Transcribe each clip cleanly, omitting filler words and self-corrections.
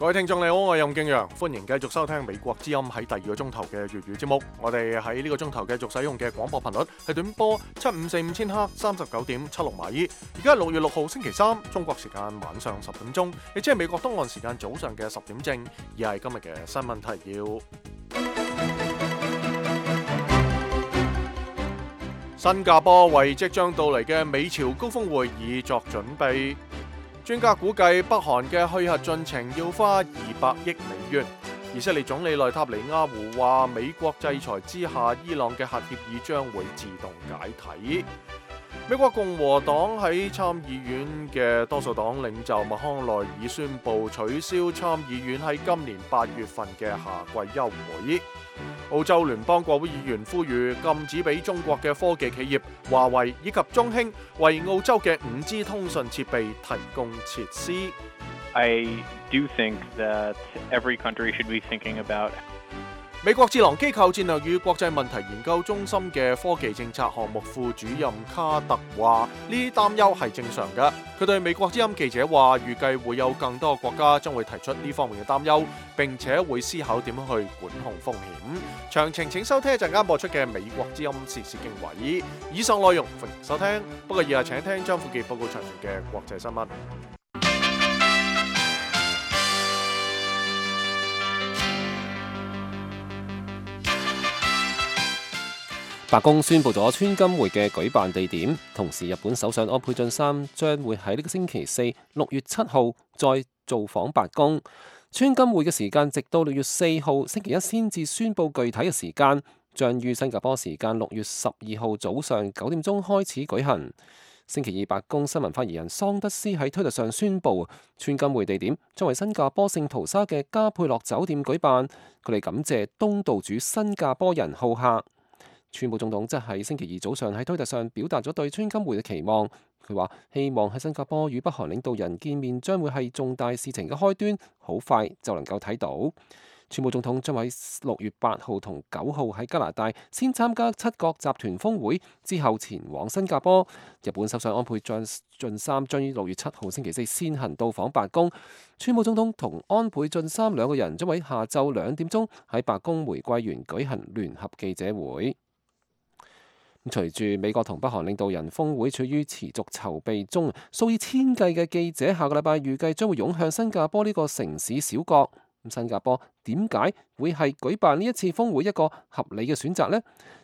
各位聽眾你好，我係任敬陽，歡迎繼續收聽美國之音喺第二個鐘頭嘅粵語節目。我哋喺呢個鐘頭繼續使用嘅廣播頻率係短波7545千赫39.76米。而家係6月6號星期三，中國時間晚上10點鐘，亦即係美國東岸時間早上嘅10點正。而係今日嘅新聞提要。新加坡為即將到嚟嘅美朝高峰會議作準備。專家估計北韓嘅去核進程要花200億美元。以色列總理內塔尼亞胡話，美國制裁之下，伊朗嘅核協議將會自動解體。美國共和黨喺參議院嘅多數黨領袖麥康奈爾宣布取消參議院喺今年8月份嘅夏季休會。澳洲聯邦國會議員呼籲禁止俾中國嘅科技企業華為以及中興為澳洲嘅5G 通訊設備提供設施。I do think that every country should be thinking about。美國智囊機構戰略與國際問題研究中心嘅科技政策項目副主任卡特話：呢啲擔憂係正常嘅。佢對美國之音記者話：預計會有更多國家將會提出呢方面嘅擔憂，並且會思考點樣去管控風險。詳情請收聽一陣間播出嘅美國之音時事經緯。以上內容歡迎收聽，不過以下請聽張富傑報告詳情嘅國際新聞。白宮宣布咗川金會嘅舉辦地點，同時日本首相安倍晉三將會喺呢個星期四6月7號再造訪白宮。川金會嘅時間直到6月4號星期一先至宣布具體嘅時間，將於新加坡時間6月12號早上9點鐘開始舉行。星期二，白宮新聞發言人桑德斯喺推特上宣布，川金會地點將為新加坡聖淘沙嘅加佩洛酒店舉辦。佢哋感謝東道主新加坡人好客。川普總統則喺星期二早上喺推特上表達咗對川金會嘅期望。佢話希望喺新加坡與北韓領導人見面將會係重大事情嘅開端，好快就能夠睇到。川普總統將喺6月8號同9號喺加拿大先參加7國集團峰會，之後前往新加坡。日本首相安倍晉三將於6月7號星期四先行到訪白宮。川普總統同安倍晉三兩個人將喺下晝2點鐘喺白宮玫瑰園舉行聯合記者會。隨住美國同北韓領導人峰會處於持續籌備中，數以千計嘅記者下個禮拜預計將會湧向新加坡呢個城市小國。新加坡點解會係舉辦呢一次峰會一個合理嘅選擇呢？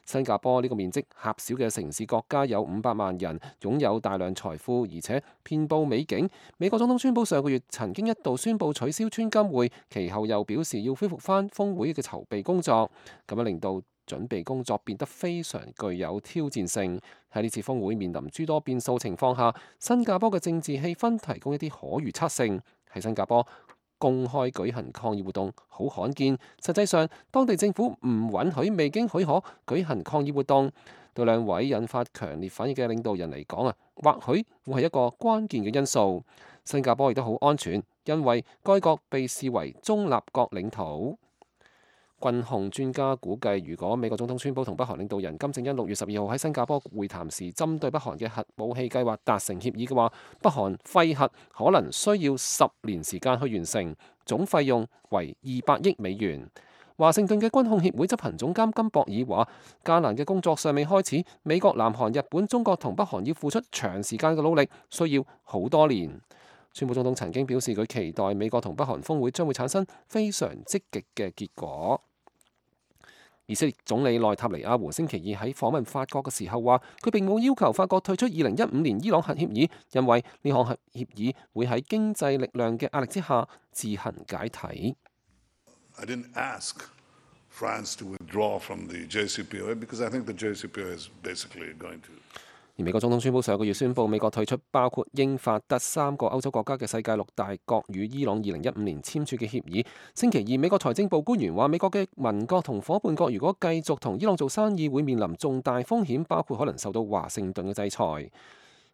新加坡呢個面積狹小嘅城市國家有500萬人，擁有大量財富，而且遍佈美景。美國總統川普上個月曾經一度宣布取消川金會，其後又表示要恢復返峰會嘅籌備工作，咁樣令到準備工作變得非常具有挑戰性。喺呢次峰會面臨諸多變數情況下，新加坡嘅政治氣氛提供一啲可預測性。喺新加坡公開舉行抗議活動好罕見，實際上當地政府唔允許未經許可舉行抗議活動。對兩位引發強烈反應嘅領導人嚟講或許會係一個關鍵嘅因素。新加坡亦都好安全，因為該國被視為中立國領土。軍控專家估計，如果美國總統川普同北韓領導人金正恩6月12號喺新加坡會談時，針對北韓嘅核武器計劃達成協議嘅話，北韓廢核可能需要10年時間去完成，總費用為200億美元。華盛頓嘅軍控協會執行總監金博爾話：艱難嘅工作尚未開始，美國、南韓、日本、中國同北韓要付出長時間嘅努力，需要好多年。川普總統曾經表示，佢期待美國同北韓峰會將會產生非常積極嘅結果。以色列總理內塔尼亞胡星期二喺訪問法國嘅時候話，佢並冇要求法國退出2015年伊朗核協議，因為呢項核協議會喺經濟力量嘅壓力之下自行解體。I didn't ask France to withdraw from the JCPOA because I think the JCPOA is basically going to。而美國總統川普上個月宣布美國退出包括英法德3個歐洲國家嘅世界6大國與伊朗2015年簽署嘅協議。星期二，美國財政部官員話，美國嘅盟國同夥伴國如果繼續同伊朗做生意，會面臨重大風險，包括可能受到華盛頓嘅制裁。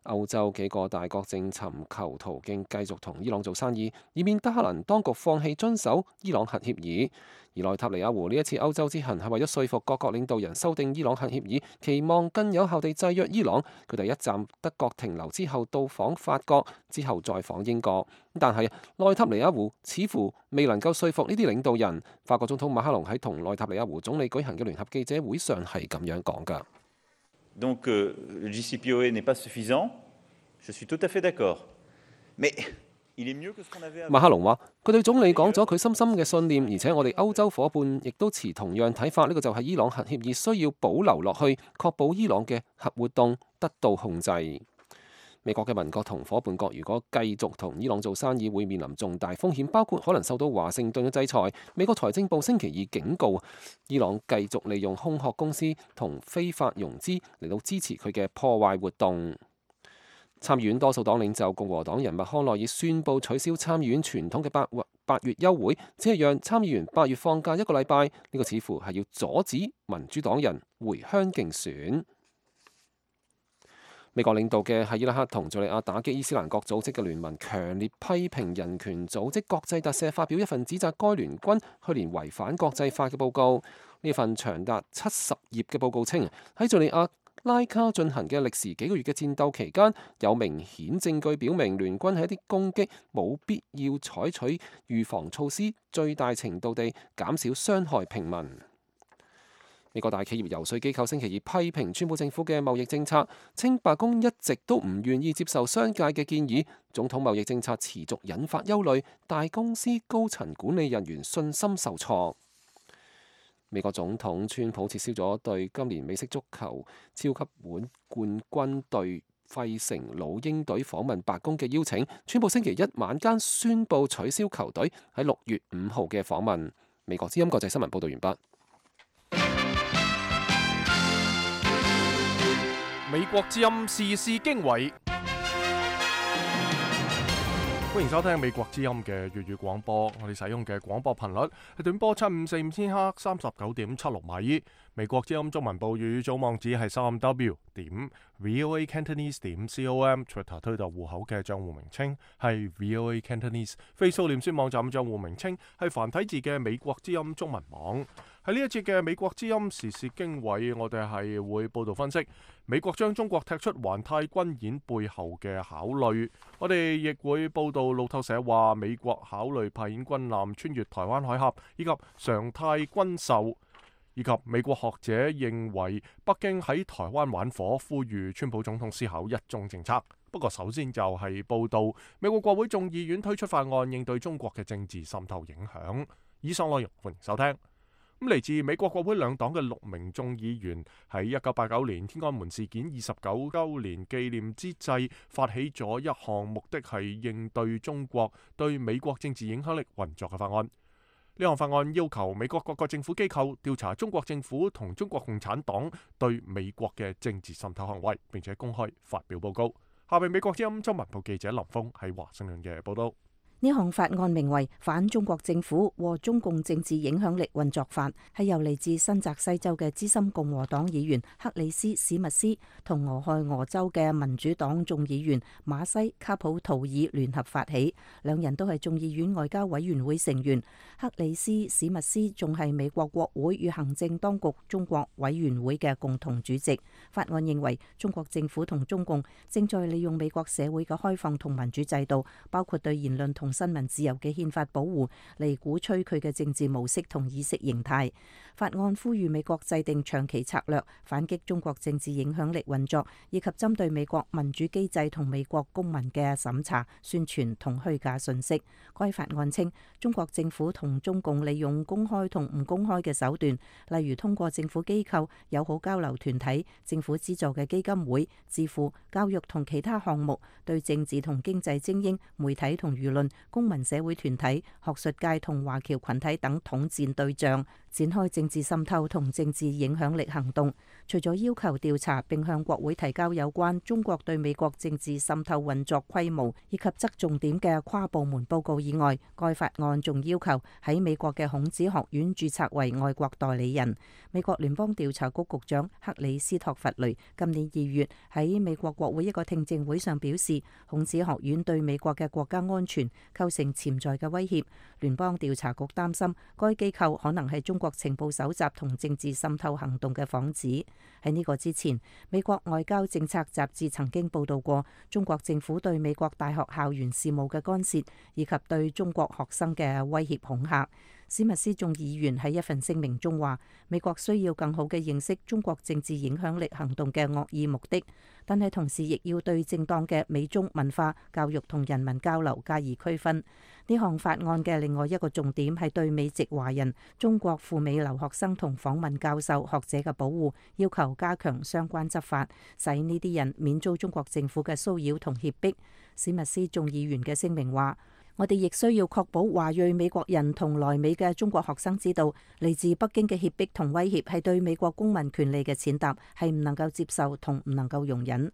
歐洲幾個大國正尋求途徑繼續同伊朗做生意，以免德黑蘭當局放棄遵守伊朗核協議。而內塔尼亞胡呢一次歐洲之行係為咗說服各國領導人修訂伊朗核協議，期望更有效地制約伊朗。佢第一站德國停留之後到訪法國，之後再訪英國。但係內塔尼亞胡似乎未能夠說服呢啲領導人。法國總統馬克龍喺同內塔尼亞胡總理舉行嘅聯合記者會上係咁樣講㗎。Donc le JCPOA n'est pas suffisant, je suis tout à fait d'accord. Mais il est mieux que ce qu'on avait avant. 馬克龍話：佢對總理講咗佢深深嘅信念，而且我哋歐洲伙伴亦都持同樣睇法。呢個就係伊朗核協議需要保留落去，確保伊朗嘅核活動得到控制。美國嘅盟國同伙伴國如果繼續同伊朗做生意，會面臨重大風險，包括可能受到華盛頓嘅制裁。美國財政部星期二警告，伊朗繼續利用空殼公司同非法融資嚟到支持佢嘅破壞活動。參議院多數黨領袖共和黨人麥康奈爾宣布取消參議院傳統嘅八月休會，只係讓參議員8月放假1個禮拜。呢個似乎係要阻止民主黨人回鄉競選。美國領導嘅喺伊拉克同敘利亞打擊伊斯蘭國組織嘅聯盟強烈批評人權組織國際特赦發表一份指責該聯軍去年違反國際法嘅報告。呢份長達70頁嘅報告稱，喺敘利亞拉卡進行嘅歷時幾個月嘅戰鬥期間，有明顯證據表明聯軍喺一啲攻擊冇必要採取預防措施，最大程度地減少傷害平民。美國大企業游說機構星期二批評川普政府嘅貿易政策，稱白宮一直都唔願意接受商界嘅建議，總統貿易政策持續引發憂慮，大公司高層管理人員信心受挫。美國總統川普撤銷咗對今年美式足球超級碗冠軍隊費城老鷹隊訪問白宮嘅邀請。川普星期一晚間宣布取消球隊喺6月5號嘅訪問。美國之音國際新聞報道完畢。美國之音時事經緯，歡迎收聽美國之音嘅粵語廣播。我哋使用嘅廣播頻率係短波7545千赫39.76米。美國之音中文部粵語組網址係3w.voacantonese.com，Twitter 推特戶口嘅賬戶名稱係 VOA Cantonese，Facebook 臉書網站賬戶名稱係繁體字嘅美國之音中文網。喺呢一節嘅美國之音時事經緯，我哋係會報道分析美國將中國踢出環太軍演背後嘅考慮。我哋亦會報道路透社話美國考慮派遣軍艦穿越台灣海峽，以及常態軍售，以及美國學者認為北京喺台灣玩火，呼籲川普總統思考一中政策。不過首先就係報道美國國會眾議院推出法案，應對中國嘅政治滲透影響。以上內容歡迎收聽。嚟自美國國會兩黨嘅6名眾議員喺1989年天安門事件29週年紀念之際，發起咗一項目的係應對中國對美國政治影響力運作嘅法案。呢項法案要求美國各個政府機構調查中國政府同中國共產黨對美國嘅政治滲透行為，並且公開發表報告。下面美國之音中文部記者林峰喺華盛頓嘅報道。呢項法案名為《反中國政府和中共政治影響力運作法》，係由嚟自新澤西州嘅資深共和黨議員克里斯史密斯同俄亥俄州嘅民主黨眾議員馬西卡普圖爾聯合發起，兩人都係眾議院外交委員會成員。克里斯史密斯仲係美國國會與行政當局中國委員會嘅共同主席。法案認為中國政府同中共正在利用美國社會嘅開放同民主制度，包括對言論同新聞自由嘅憲法保護，嚟鼓吹佢嘅政治模式同意識形態。法案呼籲美國制定長期策略，反擊中國政治影響力運作，以及針對美國民主機制同美國公民嘅審查、宣傳同虛假信息。該法案稱，中國政府同中共利用公開同唔公開嘅手段，例如通過政府機構、友好交流團體、政府資助嘅基金會、智庫、教育同其他項目，對政治同經濟精英、媒體同輿論、公民社會團體、學術界同華僑群體等統戰對象，展開政治滲透同政治影響力行動。除咗要求調查並向國會提交有關中國對美國政治滲透運作規模以及側重點嘅跨部門報告以外，該法案仲要求喺美國嘅孔子學院註冊為外國代理人。美國聯邦調查局局長克里斯托弗雷今年2月喺美國國會一個聽證會上表示，孔子學院對美國嘅國家安全構成潛在嘅威脅。聯邦調查局擔心該機構可能係中國情報搜集同政治滲透行動嘅幌子。喺呢個之前，美國外交政策雜誌曾經報道過中國政府對美國大學校園事務嘅干涉，以及對中國學生嘅威脅恐嚇。史密斯眾議員喺一份聲明中話，美國需要更好嘅認識中國政治影響力行動嘅惡意目的，但係同時亦要對正當嘅美中文化教育同人民交流加以區分。呢項法案嘅另外一個重點係對美籍華人、中國赴美留學生同訪問教授、學者嘅保護，要求加強相關執法，使呢啲人免遭中國政府嘅騷擾同脅迫。史密斯眾議員嘅聲明話，我哋亦需要確保華裔美國人同來美嘅中國學生知道，嚟自北京嘅脅迫同威脅係對美國公民權利嘅踐踏，係唔能夠接受同唔能夠容忍。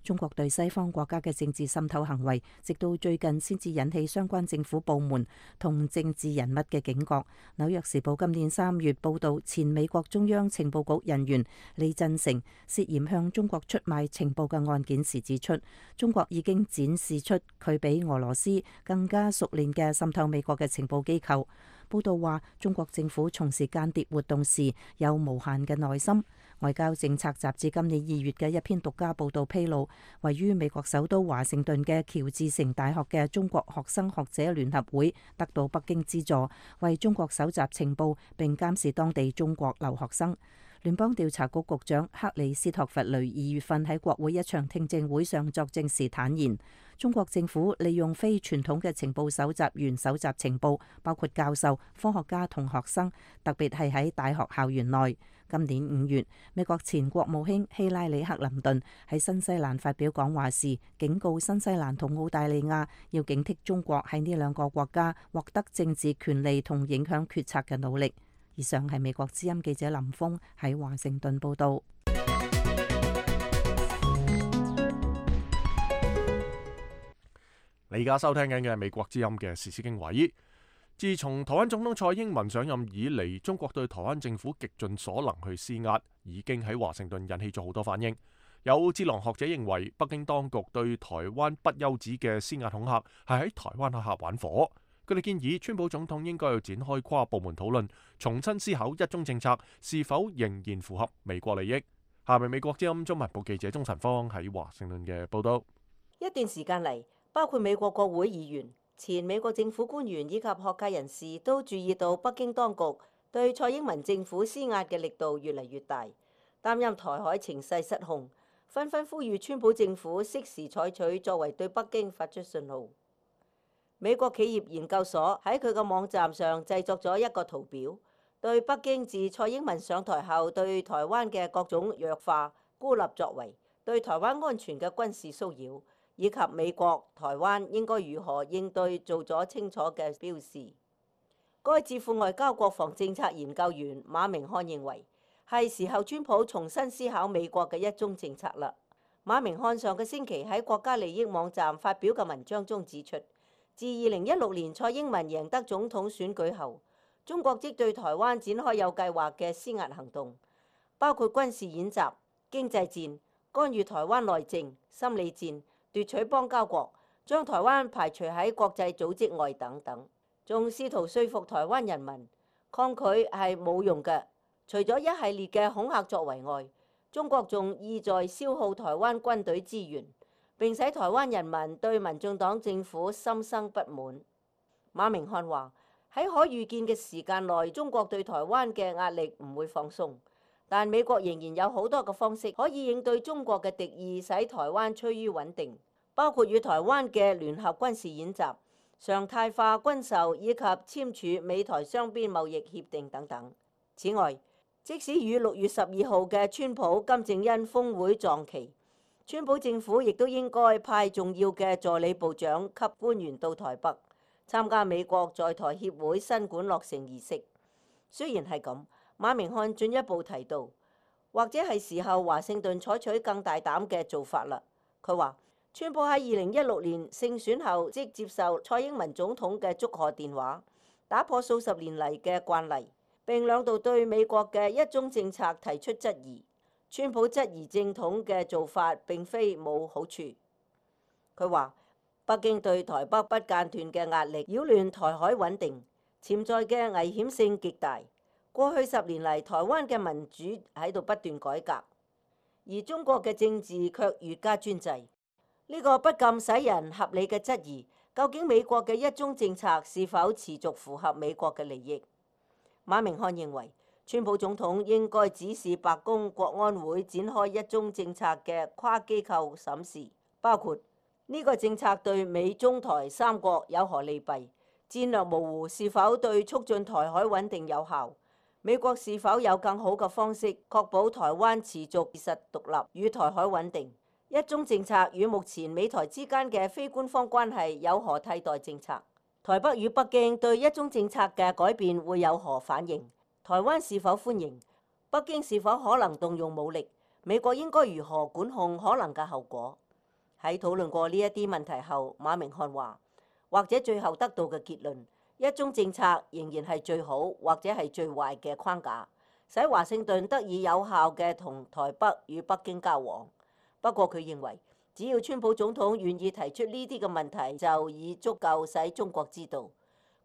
中國對西方國家嘅政治滲透行為，直到最近先至引起相關政府部門同政治人物嘅警覺。紐約時報今年3月報導，前美國中央情報局人員李振成涉嫌向中國出賣情報嘅案件時指出，中國已經展示出佢比俄羅斯更加熟練嘅滲透美國嘅情報機構。報道話，中國政府從事間諜活動時有無限嘅耐心。外交政策雜誌今年2月嘅一篇獨家報導披露，位於美國首都華盛頓嘅喬治城大學嘅中國學生學者聯合會得到北京資助，為中國搜集情報並監視當地中國留學生。聯邦調查局局長克里斯托弗雷2月份喺國會一場聽證會上作證時坦言，中國政府利用非傳統嘅情報搜集員搜集情報，包括教授、科學家同學生，特別係喺大學校園內。今年5月，美國前國務卿希拉里克林頓喺新西蘭發表講話時，警告新西蘭同澳大利亞要警惕中國喺呢兩個國家獲得政治權利同影響決策嘅努力。以上係美國之音記者林峰喺華盛頓報導。你而家收聽緊嘅係美國之音嘅時事經緯。自從台灣總統蔡英文上任以嚟，中國對台灣政府極盡所能去施壓，已經喺華盛頓引起咗好多反應。有智囊學者認為，北京當局對台灣不休止嘅施壓恐嚇係喺台灣下玩火。佢哋建議川普總統應該要展開跨部門討論，重新思考一中政策是否仍然符合美國利益。下面美國之音中文部記者鍾晨芳喺華盛頓嘅報道。一段時間嚟，包括美國國會議員、前美國政府官員以及學界人士都注意到北京當局對蔡英文政府施壓嘅力度越嚟越大，擔任台海情勢失控，紛紛呼籲川普政府適時採取作為，對北京發出信號。美國企業研究所喺佢嘅網站上製作咗一個圖表，對北京自蔡英文上台後對台灣嘅各種弱化、孤立作為、對台灣安全嘅軍事騷擾，以及美國、台灣應該如何應對做咗清楚嘅標示。該智庫外交國防政策研究員馬明漢認為，係時候川普重新思考美國嘅一中政策啦。馬明漢上個星期喺國家利益網站發表嘅文章中指出，自2016年蔡英文贏得總統選舉後，中國即對台灣展開有計劃嘅施壓行動，包括軍事演習、經濟戰、干預台灣內政、心理戰、奪取邦交國、將台灣排除喺國際組織外等等，仲試圖說服台灣人民抗拒係冇用嘅。除咗一系列嘅恐嚇作為外，中國仲意在消耗台灣軍隊資源，並使台灣人民對民進黨政府心生不滿。馬明漢話：喺可預見嘅時間內，中國對台灣嘅壓力唔會放鬆，但美國仍然有好多嘅方式可以應對中國嘅敵意，使台灣趨於穩定，包括與台灣嘅聯合軍事演習、常態化軍售以及簽署美台雙邊貿易協定等等。此外，即使與6月12號嘅川普金正恩峰會撞期，川普政府亦都應該派重要嘅助理部長級官員到台北參加美國在台協會新館落成儀式，雖然係咁，馬明漢進一步提到，或者係時候華盛頓採取更大膽嘅做法啦。佢話，川普喺2016年勝選後即接受蔡英文總統嘅祝賀電話，打破數十年嚟嘅慣例，並兩度對美國嘅一中政策提出質疑。川普質疑正統嘅做法並非冇好處。佢話，北京對台北不間斷嘅壓力擾亂台海穩定，潛在嘅危險性極大。過去10年嚟，台灣嘅民主喺度不斷改革，而中國嘅政治卻越加專制。呢個不禁使人合理嘅質疑，究竟美國嘅一中政策是否持續符合美國嘅利益？馬明漢認為，川普總統應該指示白宮國安會展開一中政策嘅跨機構審視，包括呢個政策對美中台三國有何利弊，戰略模糊是否對促進台海穩定有效，美國是否有更好嘅方式確保台灣持續事實獨立與台海穩定，一中政策與目前美台之間嘅非官方關係有何替代政策，台北與北京對一中政策嘅改變會有何反應，台灣是否歡迎，北京是否可能動用武力，美國應該如何管控可能嘅後果。喺討論過呢一啲問題後，馬明漢話，或者最後得到嘅結論，一中政策仍然係最好或者係最壞嘅框架，使華盛頓得以有效嘅同台北與北京交往。不過佢認為，只要川普總統願意提出呢啲嘅問題，就已足夠使中國知道，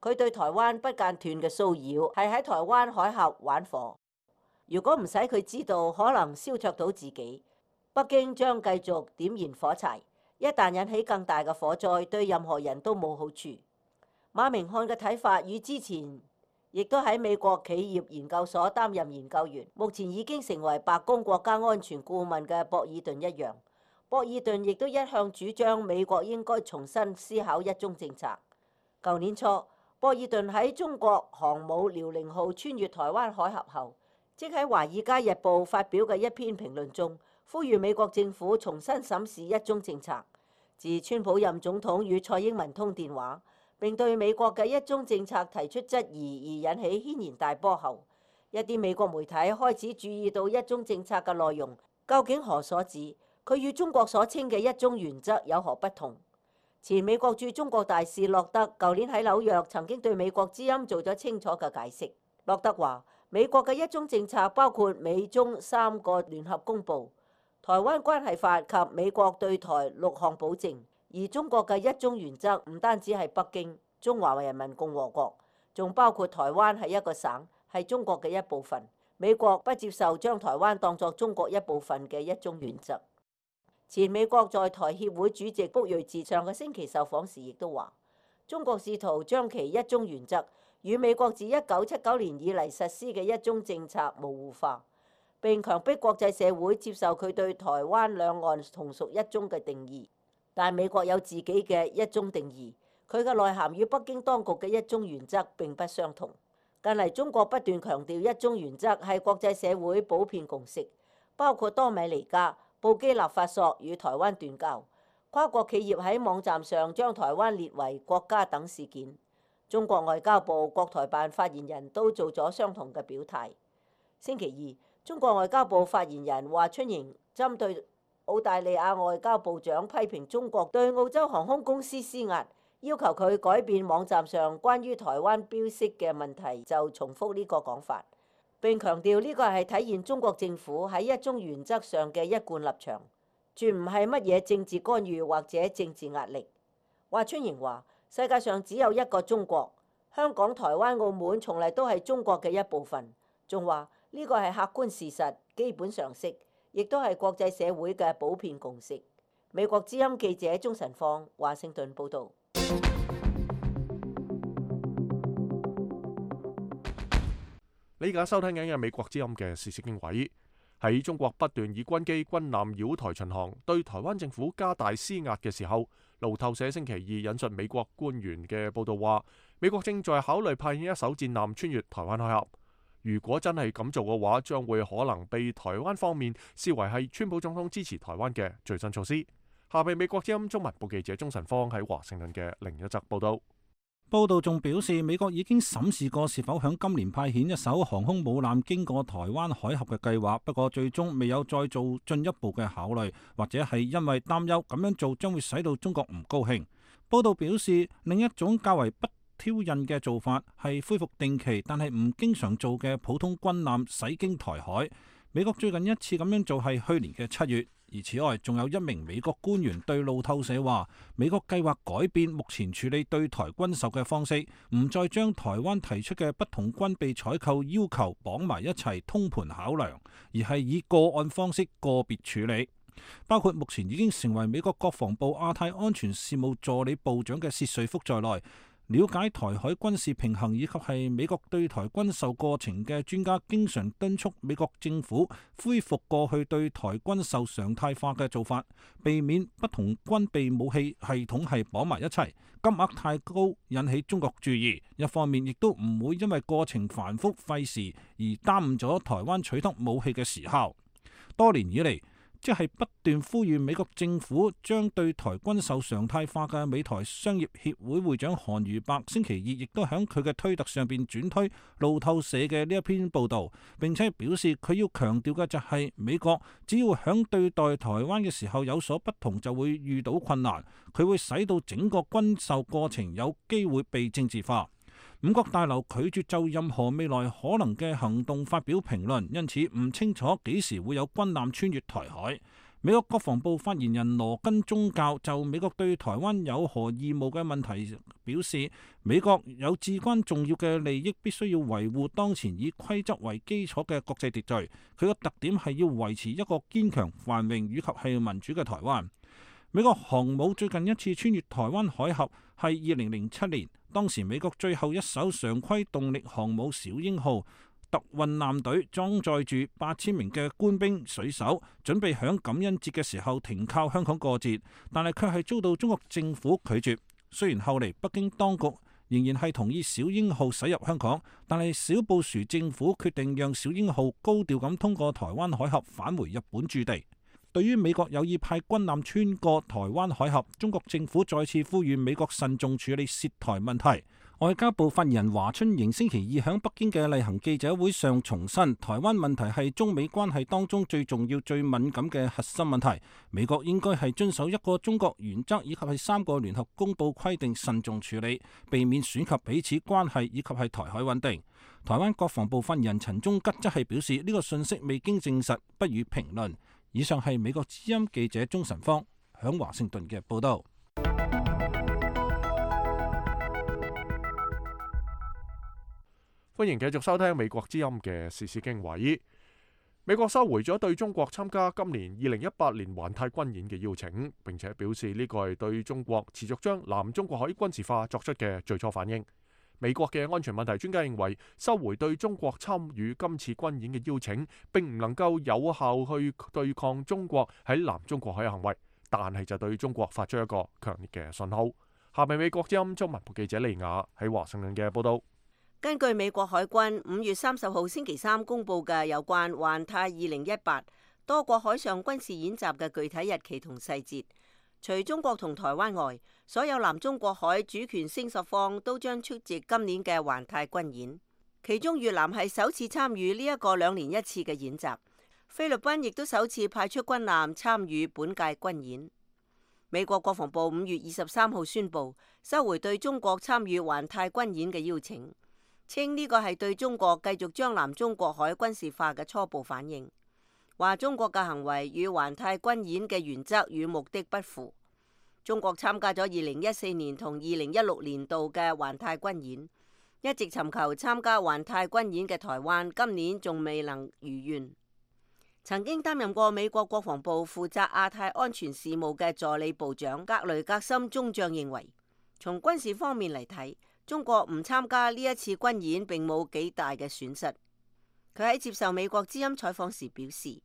佢對台灣不間斷嘅騷擾係喺台灣海峽玩火。如果唔使佢知道，可能燒灼到自己，北京將繼續點燃火柴。一旦引起更大嘅火災，對任何人都冇好處。馬明漢嘅睇法與之前亦都喺美國企業研究所擔任研究員，目前已經成為白宮國家安全顧問嘅博爾頓一樣。博爾頓亦都一向主張美國應該重新思考一中政策。舊年初，博爾頓喺中國航母遼寧號穿越台灣海峽後，即喺《華爾街日報》發表嘅一篇評論中，呼籲美國政府重新審視一中政策。自川普任總統與蔡英文通電話，並對美國嘅一中政策提出質疑而引起軒然大波後，一啲美國媒體開始注意到一中政策嘅內容究竟何所指，佢與中國所稱嘅一中原則有何不同？前美國駐中國大使洛德舊年喺紐約曾經對美國之音做咗清楚嘅解釋。洛德話，美國嘅一中政策包括美中3個聯合公報、台灣關係法及美國對台6項保證，而中國嘅一中原則唔單止係北京、中華人民共和國，仲包括台灣係一個省，係中國嘅一部分。美國不接受將台灣當作中國一部分嘅一中原則。前美國在台協會主席卜瑞哲上個星期受訪時亦都話，中國試圖將其一中原則與美國自1979年以嚟實施嘅一中政策模糊化，並強迫國際社會接受佢對台灣兩岸同屬一中嘅定義。但美國有自己嘅一中定義，佢嘅內涵與北京當局嘅一中原則並不相同。近嚟中國不斷強調一中原則係國際社會普遍共識，包括多米尼加、布基納法索與台灣斷交，跨國企業喺網站上將台灣列為國家等事件。中國外交部國台辦發言人都做咗相同嘅表態。星期二，中國外交部發言人華春瑩針對澳大利亞外交部長批評中國對澳洲航空公司施壓，要求佢改變網站上關於台灣標識嘅問題，就重複呢個講法，並強調呢個係體現中國政府喺一中原則上嘅一貫立場，絕唔係乜嘢政治干預或者政治壓力。華春瑩話：世界上只有一個中國，香港、台灣、澳門從嚟都係中國嘅一部分。仲話呢個係客觀事實、基本常識，亦都係國際社會嘅普遍共識。美國之音記者鍾晨放華盛頓報導。你而家收聽緊嘅美國之音嘅時事經緯，喺中國不斷以軍機、軍艦繞台巡航，對台灣政府加大施壓嘅時候，路透社星期二引述美國官員嘅報導話，美國正在考慮派遣一艘戰艦穿越台灣海峽。如果真係咁做嘅話，將會可能被台灣方面視為係川普總統支持台灣嘅最新措施。下邊美國之音中文部記者鍾晨芳喺華盛頓嘅另一則報導。報道仲表示，美國已經審視過是否響今年派遣一艘航空母艦經過台灣海峽嘅計劃，不過最終未有再做進一步嘅考慮，或者係因為擔憂咁樣做將會使到中國唔高興。報道表示，另一種較為不挑釁嘅做法係恢復定期但係唔經常做嘅普通軍艦駛經台海。美國最近一次咁樣做係去年嘅7月。而此外，仲有一名美國官員對路透社話，美國計劃改變目前處理對台軍售嘅方式，唔再將台灣提出嘅不同軍備採購要求綁埋一齊通盤考量，而係以個案方式個別處理。包括目前已經成為美國國防部亞太安全事務助理部長嘅薛瑞福在內，了解台海軍事平衡以及係美國對台軍售過程嘅專家，經常敦促美國政府恢復過去對台軍售常態化嘅做法，避免不同軍備武器系統係綁埋一齊，金額太高引起中國注意。一方面亦都唔會因為過程繁複費時而耽誤咗台灣取得武器嘅時效。多年以嚟，即係不斷呼籲美國政府將對台軍售常態化嘅美台商業協會會長韓如伯星期二亦都喺佢嘅推特上邊轉推路透社嘅呢一篇報導，並且表示佢要強調嘅就係美國只要響對待台灣嘅時候有所不同，就會遇到困難，佢會使到整個軍售過程有機會被政治化。五角大樓拒絕就任何未來可能嘅行動發表評論，因此唔清楚幾時會有軍艦穿越台海。美國國防部發言人羅根宗教就美國對台灣有何義務嘅問題表示，美國有至關重要嘅利益必須要維護當前以規則為基礎嘅國際秩序，佢個特點係要維持一個堅強、繁榮以及係民主嘅台灣。美國航母最近一次穿越台灣海峽係2007年，當時美國最後一艘常規動力航母小鷹號特運艦隊裝載住8000名嘅官兵水手，準備響感恩節嘅時候停靠香港過節，但係卻係遭到中國政府拒絕。雖然後嚟北京當局仍然係同意小鷹號駛入香港，但係小布殊政府決定讓小鷹號高調咁通過台灣海峽返回日本駐地。對於美國有意派軍艦穿過台灣海峽，中國政府再次呼籲美國慎重處理涉台問題。外交部發言人華春瑩星期二喺北京嘅例行記者會上重申，台灣問題係中美關係當中最重要、最敏感嘅核心問題。美國應該係遵守一個中國原則以及係3個聯合公報規定，慎重處理，避免損及彼此關係以及係台海穩定。台灣國防部發言人陳忠吉則係表示，呢個信息未經證實，不予評論。以上係美國之音記者鍾晨芳響華盛頓嘅報道。歡迎繼續收聽美國之音嘅時事經緯。美國收回咗對中國參加今年2018年環太軍演嘅邀請，並且表示呢個係對中國持續將南中國海軍事化作出嘅最初反應。美國嘅安全問題專家認為，收回對中國參與今次軍演嘅邀請，並唔能夠有效去對抗中國喺南中國海嘅行為，但係就對中國發出一個強烈嘅信號。下面美國之音中文部記者利亞喺華盛頓嘅報道。根據美國海軍5月30號星期三公佈嘅有關環太2018多國海上軍事演習嘅具體日期同細節，除中國同台灣外，所有南中國海主權聲方都將出席今年嘅環太軍演。其中越南係首次參與呢一個2年1次嘅演習，菲律賓亦都首次派出軍艦參與本屆軍演。美國國防部5月23號宣布收回對中國參與環太軍演嘅邀請，稱呢個係對中國繼續將南中國海軍事化嘅初步反應，話中國嘅行為與環太軍演嘅原則與目的不符。中國參加咗2014年同2016年度嘅環太軍演，一直尋求參加環太軍演嘅台灣今年仲未能如願。曾經擔任過美國國防部負責亞太安全事務嘅助理部長格雷格森中將認為，從軍事方面嚟睇，中國唔參加呢一次軍演並冇幾大嘅損失。佢喺接受美國之音採訪時表示，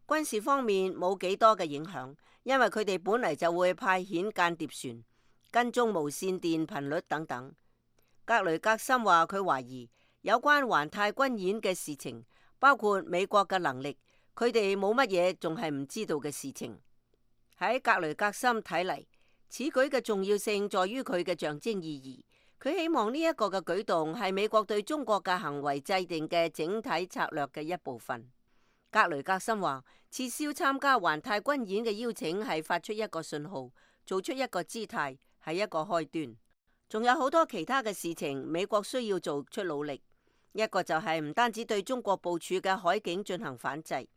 軍事方面冇幾多嘅影響，因為佢哋本嚟就會派遣間諜船、跟蹤無線電頻率等等。格雷格森話佢懷疑有關環太軍演嘅事情，包括美國嘅能力，佢哋冇乜嘢仲係唔知道嘅事情。喺格雷格森睇嚟，此舉嘅重要性在於佢嘅象徵意義。佢希望呢一個嘅舉動係美國對中國嘅行為制定嘅整體策略嘅一部分。格雷格森話，撤銷參加環太軍演嘅邀請係發出一個信號，做出一個姿態，係一個開端。仲有好多其他嘅事情，美國需要做出努力。一個就係唔單止對中國部署嘅海警進行反制，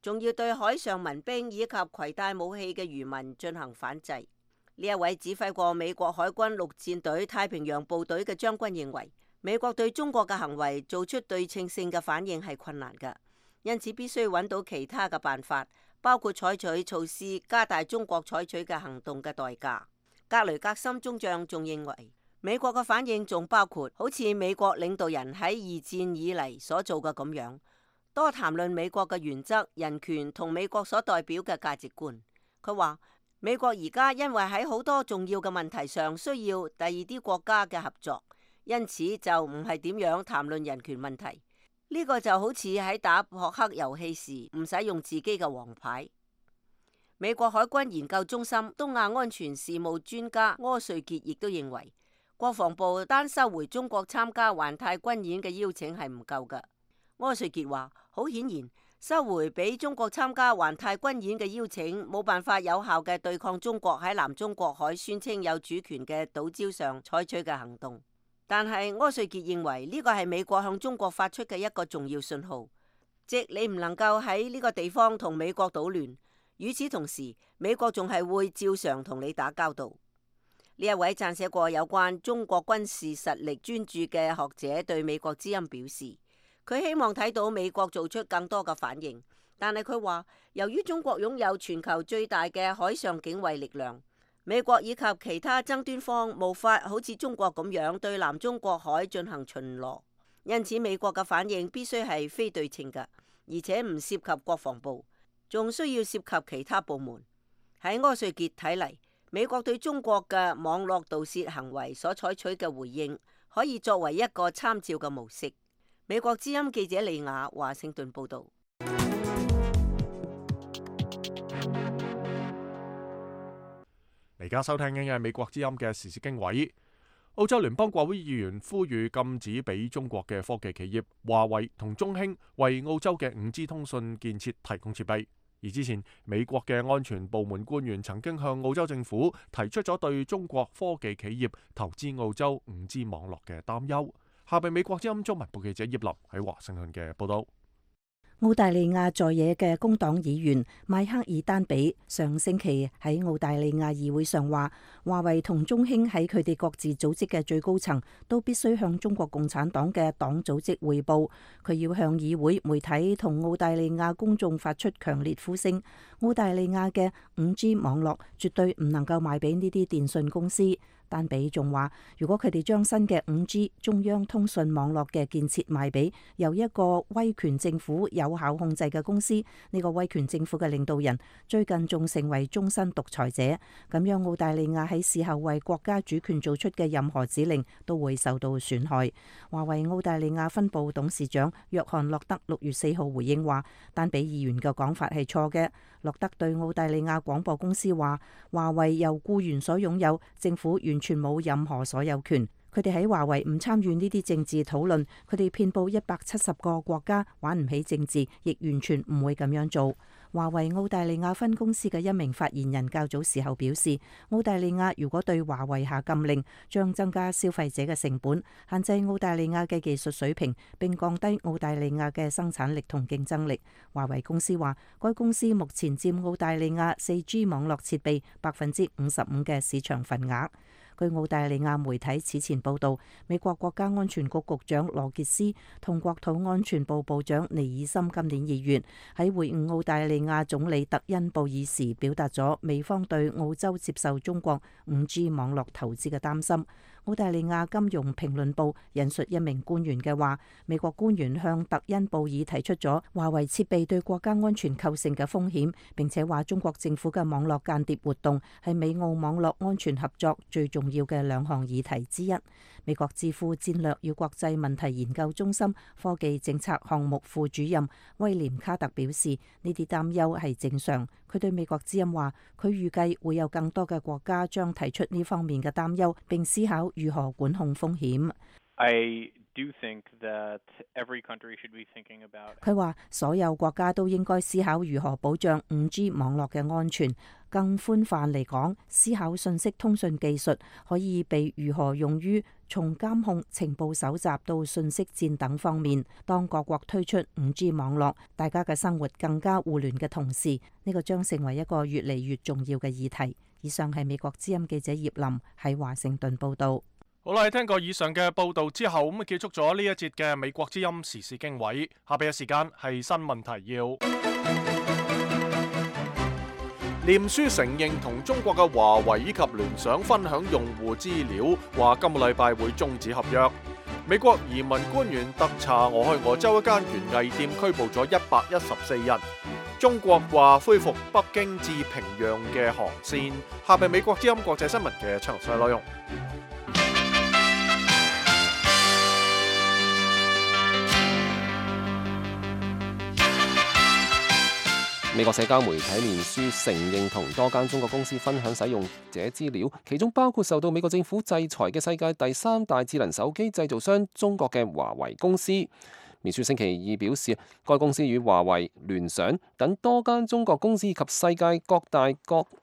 仲要對海上民兵以及攜帶武器嘅漁民進行反制。呢一位指揮過美國海軍陸戰隊太平洋部隊嘅將軍認為，美國對中國嘅行為做出對稱性嘅反應係困難㗎，因此必須揾到其他嘅辦法，包括採取措施加大中國採取嘅行動嘅代價。格雷格森中將仲認為，美國嘅反應仲包括好似美國領導人喺二戰以嚟所做嘅咁樣，多談論美國嘅原則、人權同美國所代表嘅價值觀。佢話，美國而家因為喺好多重要嘅問題上需要第二啲國家嘅合作，因此就唔係點樣談論人權問題。呢個就好似喺打撲克遊戲時唔使用自己嘅王牌。美國海軍研究中心東亞安全事務專家柯瑞傑亦都認為，國防部單收回中國參加環太軍演嘅邀請係唔夠㗎。柯瑞傑話，好顯然，收回俾中國參加環太軍演嘅邀請，冇辦法有效嘅對抗中國喺南中國海宣稱有主權嘅島礁上採取嘅行動。但係柯瑞傑認為呢個係美國向中國發出嘅一個重要信號，即你唔能夠喺呢個地方同美國搗亂。與此同時，美國仲係會照常同你打交道。呢一位撰寫過有關中國軍事實力專著嘅學者對美國之音表示，佢希望睇到美國做出更多嘅反應，但係佢話，由於中國擁有全球最大嘅海上警衛力量，美國以及其他爭端方無法好似中國咁樣對南中國海進行巡邏，因此美國嘅反應必須係非對稱嘅，而且唔涉及國防部，仲需要涉及其他部門。喺柯瑞傑睇嚟，美國對中國嘅網絡盜竊行為所採取嘅回應，可以作為一個參照嘅模式。美國之音記者李雅華盛頓報道。而家收聽緊嘅係美國之音嘅時事經緯。澳洲聯邦國會議員呼籲禁止俾中國嘅科技企業華為同中興為澳洲嘅5G 通訊建設提供設備。而之前美國嘅安全部門官員曾經向澳洲政府提出咗對中國科技企業投資澳洲5G 網絡嘅擔憂。下邊美國之音中文部記者葉林喺華盛頓嘅報道。澳大利亞在野嘅工黨議員邁克爾丹比上星期喺澳大利亞議會上話，華為同中興喺佢哋各自組織嘅最高層都必須向中國共產黨嘅黨組織匯報。佢要向議會、媒體同澳大利亞公眾發出強烈呼聲。澳大利亞嘅5G 網絡絕對唔能夠賣俾呢啲電信公司。丹比仲話，如果佢哋將新嘅5G 中央通訊網絡嘅建設賣俾由一個威權政府有效控制嘅公司，呢個威權政府嘅領導人最近仲成為終身獨裁者，咁樣澳大利亞喺事後為國家主權做出嘅任何指令都會受到損害。華為澳大利亞分部董事長約翰洛德6月4號回應話，丹比議員嘅講法係錯嘅。洛德對澳大利亞廣播公司話，華為由僱員所擁有，政府完全冇任何所有權。佢哋喺華為唔參與呢啲政治討論，佢哋遍佈170個國家，玩唔起政治，亦完全唔會咁樣做。華為澳大利亞分公司嘅一名發言人較早時候表示，澳大利亞如果對華為下禁令，將增加消費者嘅成本，限制澳大利亞嘅技術水平，並降低澳大利亞嘅生產力同競爭力。華為公司話，該公司目前佔澳大利亞 4G 網絡設備55%嘅市場份額。據澳大利亞媒體此前報道，美國國家安全局局長羅傑斯同國土安全部部長尼爾森今年2月喺會晤澳大利亞總理特恩布爾時，表達咗美方對澳洲接受中國5G 網絡投資嘅擔心。澳大利亞金融評論報引述一名官員嘅話，美國官員向特恩布爾提出咗華為設備對國家安全構成嘅風險，並且話中國政府嘅網絡間諜活動係美澳網絡安全合作最重要嘅2項議題之一。美國智庫戰略與國際問題研究中心科技政策項目副主任威廉卡特表示，呢啲擔憂係正常。佢對美國之音話，佢預計會有更多嘅國家將提出呢方面嘅擔憂，並思考如何管控風險。佢話所有國家都應該思考如何保障 5G 網絡嘅安全。更寬泛嚟講，思考信息通訊技術可以被如何用於從監控、情報搜集到信息戰等方面。當各國推出 5G 網絡，大家嘅生活更加互聯嘅同時，呢個將成為一個越嚟越重要嘅議題。以上係美國之音記者葉林喺華盛頓報導。好啦，聽過以上嘅報導之後，咁結束咗呢一節嘅美國之音時事經緯。下邊嘅時間係新聞提要。臉書承認同中國嘅華為以及聯想分享用戶資料，話今個禮拜會終止合約。美國移民官員特查俄亥俄州一間園藝店，拘捕咗114人。中國話恢復北京至平壤嘅航線。下邊美國之音國際新聞嘅詳細內容。美國社交媒體臉書承認同多間中國公司分享使用者資料，其中包括受到美國政府制裁嘅世界第3大智能手機製造商中國嘅華為公司。臉書星期二表示，該公司與華為、聯想等多間中國公司及世界各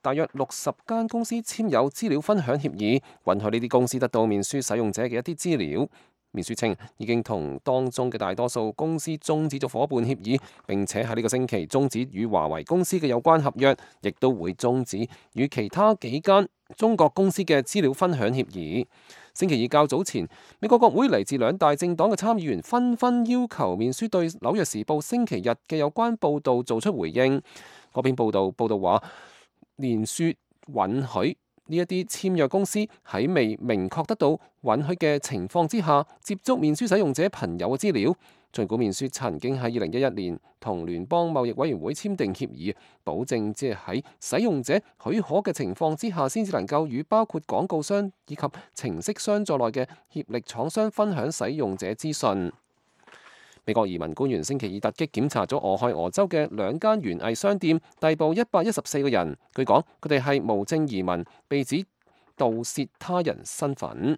大約60間公司簽有資料分享協議，允許呢啲公司得到臉書使用者嘅一啲資料。面書稱已經同當中嘅大多數公司終止咗夥伴協議，並且喺呢個星期終止與華為公司嘅有關合約，亦都會終止與其他幾間中國公司嘅資料分享協議。星期二較早前，美國國會嚟自2大政黨嘅參議員紛紛要求面書對紐約時報星期日嘅有關報導做出回應。嗰篇報導話，面書允許呢一啲簽約公司喺未明確得到允許嘅情況之下，接觸面書使用者朋友嘅資料。儘管面書曾經喺2011年同聯邦貿易委員會簽訂協議，保證即係喺使用者許可嘅情況之下，先至能夠與包括廣告商以及程式商在內嘅協力廠商分享使用者資訊。美國移民官員星期二突擊檢查咗俄亥俄州嘅2間園藝商店，逮捕114個人。據講，佢哋係無證移民，被指盜竊他人身份。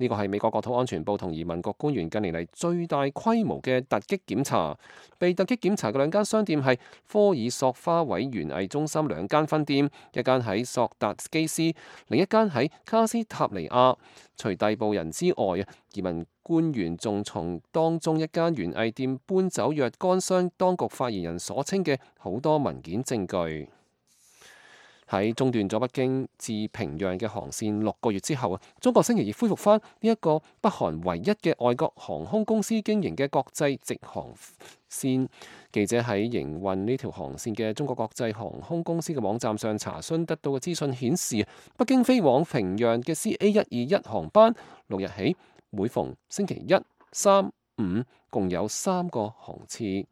呢個係美國國土安全部同移民局官員近年嚟最大規模嘅突擊檢查。被突擊檢查嘅2間商店係科爾索花卉園藝中心2間分店，一間喺索達基斯，另一間喺卡斯塔尼亞。除逮捕人之外，移民官員仲從當中一間園藝店搬走若干箱當局發言人所稱嘅好多文件證據。喺中斷咗北京至平壤嘅航線6個月之後，中國星期二恢復返呢一個北韓唯一嘅外國航空公司經營嘅國際直航線。記者喺營運呢條航線嘅中國國際航空公司嘅網站上查詢得到嘅資訊顯示，北京飛往平壤嘅 CA121 航班6日起每逢星期1、3、5共有3個航次。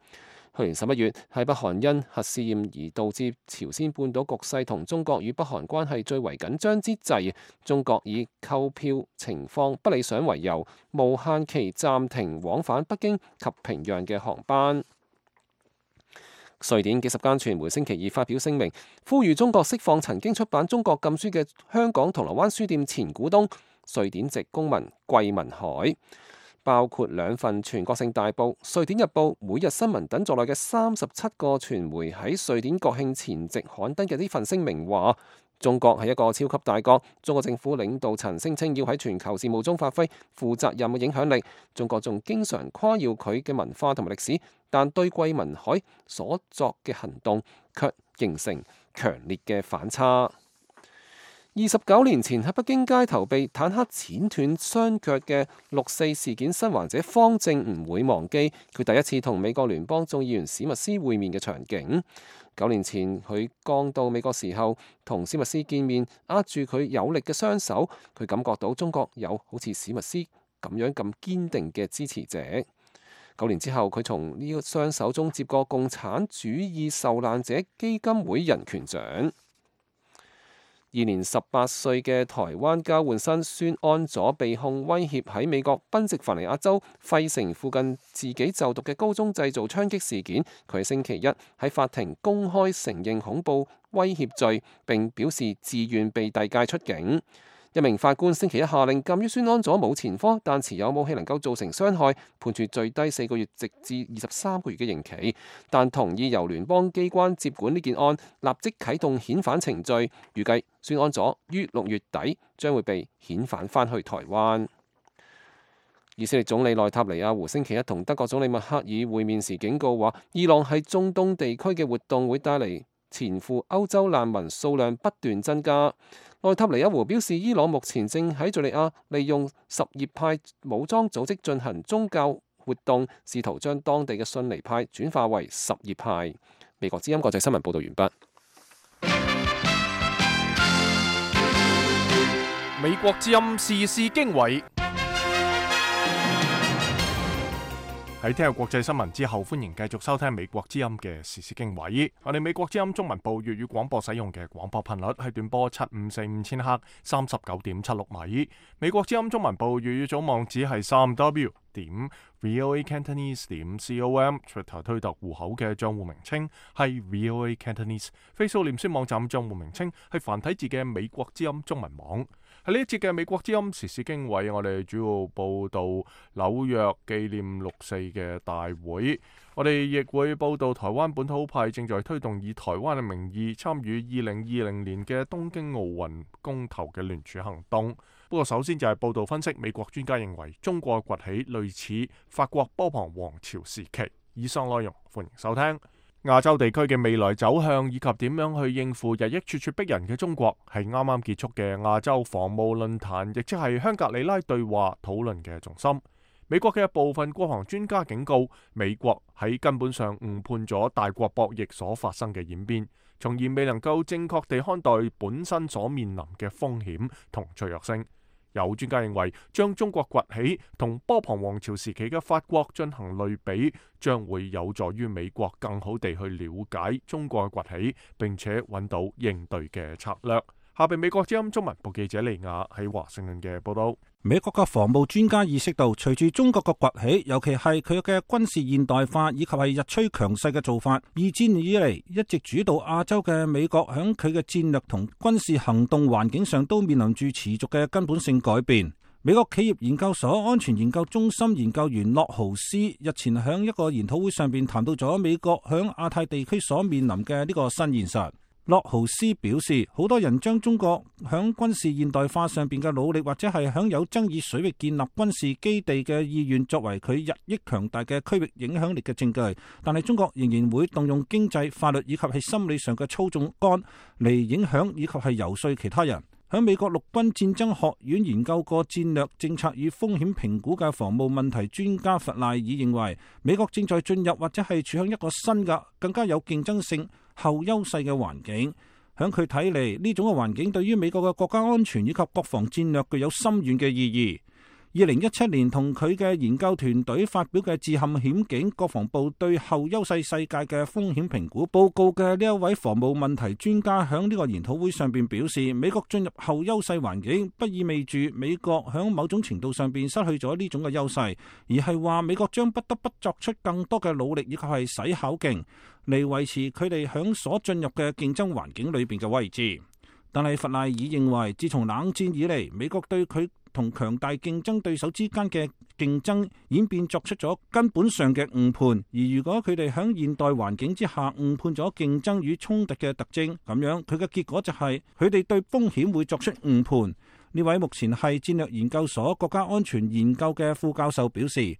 去年11月，喺北韓因核試驗而導致朝鮮半島局勢同中國與北韓關係最為緊張之際，中國以購票情況不理想為由，無限期暫停往返北京及平壤嘅航班。瑞典幾十間傳媒星期二發表聲明，呼籲中國釋放曾經出版中國禁書嘅香港銅鑼灣書店前股東瑞典籍公民桂民海，包括2份全國性大報《瑞典日報》、《每日新聞》等在內嘅37個傳媒喺瑞典國慶前夕刊登嘅呢份聲明話，中國係一個超級大國，中國政府領導層聲稱要喺全球事務中發揮負責任嘅影響力。中國仲經常誇耀佢嘅文化同埋歷史，但對桂民海所作嘅行動卻形成強烈嘅反差。29年前喺北京街頭被坦克剪斷雙腳嘅6·4事件生還者方正唔會忘記佢第一次同美國聯邦眾議員史密斯會面嘅場景。9年前佢剛到美國時候，同史密斯見面，握住佢有力嘅雙手，佢感覺到中國有好似史密斯咁樣咁堅定嘅支持者。9年之後，佢從呢個雙手中接過共產主義受難者基金會人權獎。年18歲嘅台灣交換生孫安佐被控威脅喺美國賓夕凡尼亞州費城附近自己就讀嘅高中製造槍擊事件，佢星期一喺法庭公開承認恐怖威脅罪，並表示自願被遞解出境。一名法官星期一下令鑑於孫安佐冇前科，但持有武器能夠造成傷害，判處最低4個月直至23個月嘅刑期，但同意由聯邦機關接管呢件案，立即啟動遣返程序。預計孫安佐於6月底將會被遣返返去台灣。以色列總理內塔尼亞胡星期一同德國總理默克爾會面時警告話，伊朗喺中東地區嘅活動會帶嚟前赴歐洲難民數量不斷增加。內塔尼亞胡表示，伊朗目前正喺敘利亞利用什葉派武裝組織進行宗教活動，試圖將當地嘅遜尼派轉化為什葉派。美國之音國際新聞報道完畢。美國之音時事經緯。喺聽日國際新聞之後，歡迎繼續收聽美國之音嘅時事經緯。我哋美國之音中文部粵語廣播使用嘅廣播頻率係短波7545千赫39.76米。美國之音中文部粵語總網址係3w.voacantonese.com。Twitter 推特戶口嘅賬戶名稱係 VOA Cantonese。Facebook 臉書網站賬戶名稱係繁體字嘅美國之音中文網。喺呢一節嘅美國之音時事經緯，我哋主要報道紐約紀念6·4嘅大會，我哋亦會報道台灣本土派正在推動以台灣嘅名義參與2020年嘅東京奧運公投嘅聯署行動。不過首先就係報道分析，美國專家認為中國崛起類似法國波旁王朝時期。以上內容歡迎收聽。亞洲地區嘅未來走向以及點樣去應付日益咄咄逼人嘅中國，係啱啱結束嘅亞洲防務論壇，亦即係香格里拉對話討論嘅重心。美國嘅部分國防專家警告，美國喺根本上誤判咗大國博弈所發生嘅演變，從而未能夠正確地看待本身所面臨嘅風險同脆弱性。有專家認為，將中國崛起同波旁王朝時期嘅法國進行類比，將會有助於美國更好地去了解中國嘅崛起，並且揾到應對嘅策略。下邊美國之音中文部記者利亞喺華盛頓嘅報道。美國嘅防務專家意識到，隨住中國嘅崛起，尤其係佢嘅軍事現代化以及係日趨強勢嘅做法，二戰以嚟一直主導亞洲嘅美國響佢嘅戰略同軍事行動環境上都面臨住持續嘅根本性改變。美國企業研究所安全研究中心研究員洛豪斯日前響一個研討會上邊談到咗美國響亞太地區所面臨嘅呢個新現實。洛豪斯表示，好多人將中國響軍事現代化上邊嘅努力，或者係響有爭議水域建立軍事基地嘅意願，作為佢日益強大嘅區域影響力嘅證據。但係中國仍然會動用經濟、法律以及係心理上嘅操縱桿嚟影響以及係游說其他人。喺美國陸軍戰爭學院研究過戰略政策與風險評估嘅防務問題專家弗賴爾認為，美國正在進入或者係處向一個新嘅、更加有競爭性、後優勢嘅環境。響佢睇嚟，呢種嘅環境對於美國嘅國家安全以及國防戰略具有深遠嘅意義。2017年同佢嘅研究團隊發表嘅致陷險境國防部對後優勢世界嘅風險評估報告嘅呢一位防務問題專家響呢個研討會上邊表示，美國進入後優勢環境不意味住美國響某種程度上邊失去咗呢種嘅優勢，而係話美國將不得不作出更多嘅努力以及係使巧勁嚟維持佢哋響所進入嘅競爭環境裏邊嘅位置。但係弗賴爾認為，自從冷戰以嚟，美國對佢同強大競爭對手之間嘅競爭演變作出咗根本上嘅誤判，而如果佢哋喺現代環境之下誤判咗競爭與衝突嘅特徵，咁樣佢嘅結果就係佢哋對風險會作出誤判。呢位目前係戰略研究所國家安全研究嘅副教授表示，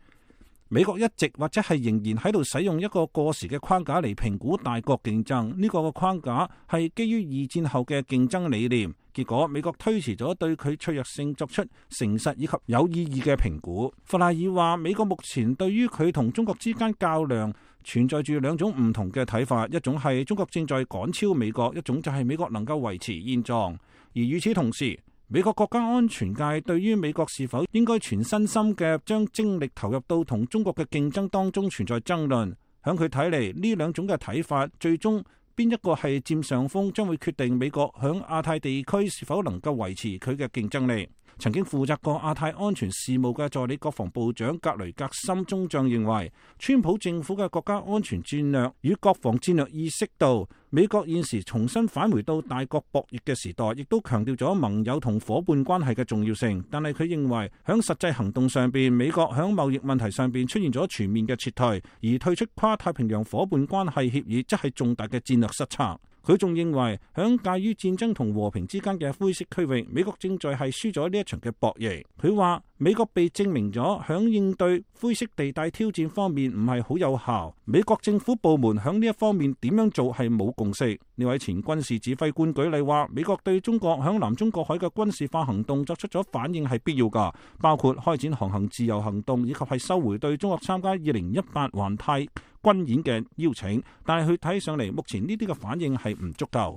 美國一直或者係仍然喺度使用一個過時嘅框架嚟評估大國競爭，呢個框架係基於二戰後嘅競爭理念。結果美國推遲咗對佢脆弱性作出誠實以及有意義嘅評估。弗賴爾話，美國目前對於佢同中國之間較量存在住兩種唔同嘅睇法，一種係中國正在趕超美國，一種就係美國能夠維持現狀。而與此同時，美國國家安全界對於美國是否應該全身心嘅將精力投入到同中國嘅競爭當中存在爭論。響佢睇嚟，呢兩種嘅睇法最終邊一個係佔上風，將會決定美國響亞太地區是否能夠維持佢嘅競爭力。曾經負責過亞太安全事務嘅助理國防部長格雷格森中將認為，川普政府嘅國家安全戰略與國防戰略意識到美國現時重新返回到大國博弈嘅時代，亦都強調咗盟友同伙伴關係嘅重要性。但係佢認為喺實際行動上邊，美國喺貿易問題上邊出現咗全面嘅撤退，而退出跨太平洋伙伴關係協議則係重大嘅戰略失策。佢仲認為，響介於戰爭同和平之間嘅灰色區域，美國正在係輸咗呢一場嘅博弈。佢話美國被證明咗響應對灰色地帶挑戰方面唔係好有效，美國政府部門響呢一方面點樣做係冇共識。呢位前軍事指揮官舉例話，美國對中國響南中國海嘅軍事化行動作出咗反應係必要㗎，包括開展航行自由行動，以及係收回對中國參加2018環太軍演嘅邀請，但係佢睇上嚟，目前呢啲嘅反應係唔足夠。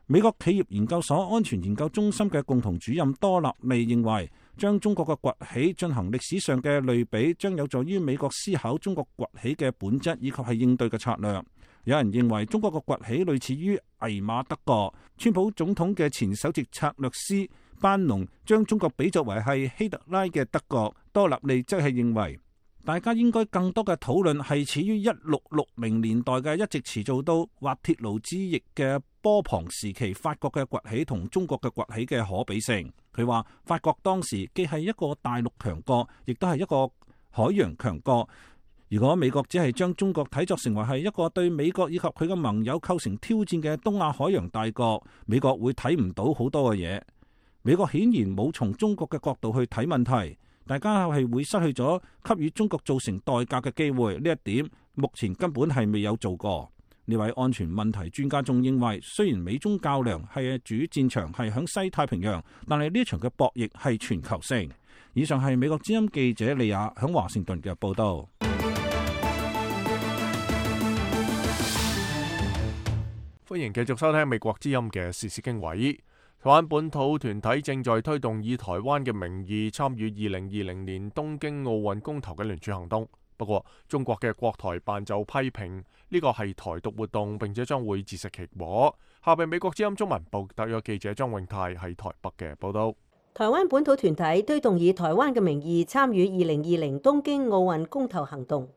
美國企業研究所安全研究中心嘅共同主任多納利認為，將中國嘅崛起進行歷史上嘅類比，將有助於美國思考中國崛起嘅本質以及係應對嘅策略。有人認為中國嘅崛起類似於魏瑪德國，川普總統嘅前首席策略師班農將中國比作為係希特拉嘅德國。多納利則係認為，大家應該更多嘅討論係始於1660年代嘅一直持續到滑鐵盧之役嘅波旁時期法國嘅崛起同中國嘅崛起嘅可比性。佢話法國當時既係一個大陸強國，亦都係一個海洋強國。如果美國只係將中國睇作成為係一個對美國以及佢嘅盟友構成挑戰嘅東亞海洋大國，美國會睇唔到好多嘅嘢。美國顯然冇從中國嘅角度去睇問題。大家係會失去咗給予中國造成代價嘅機會，呢一點目前根本係未有做過。呢位安全問題專家仲認為，雖然美中較量係主戰場係響西太平洋，但係呢場嘅博弈係全球性。以上係美國之音記者利亞響華盛頓嘅報道。歡迎繼續收聽美國之音嘅時事經緯。台灣本土團體正在推動以台灣嘅名義參與2020年東京奧運公投嘅聯署行動。不過，中國嘅國台辦就批評呢個係台獨活動，並且將會自食其果。下邊美國之音中文部特約記者張永泰喺台北嘅報道。台灣本土團體推動以台灣嘅名義參與2020東京奧運公投行動。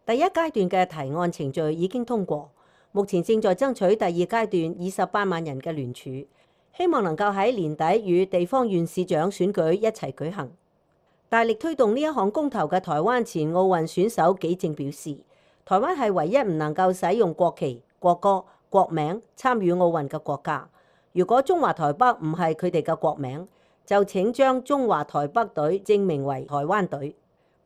第一階段嘅提案程序已經通過，目前正在爭取第二階段28萬人嘅聯署，希望能夠喺年底與地方縣市長選舉一齊舉行。大力推動呢一項公投嘅台灣前奧運選手紀政表示，台灣係唯一唔能夠使用國旗、國歌、國名參與奧運嘅國家。如果中華台北唔係佢哋嘅國名，就請將中華台北隊正名為台灣隊。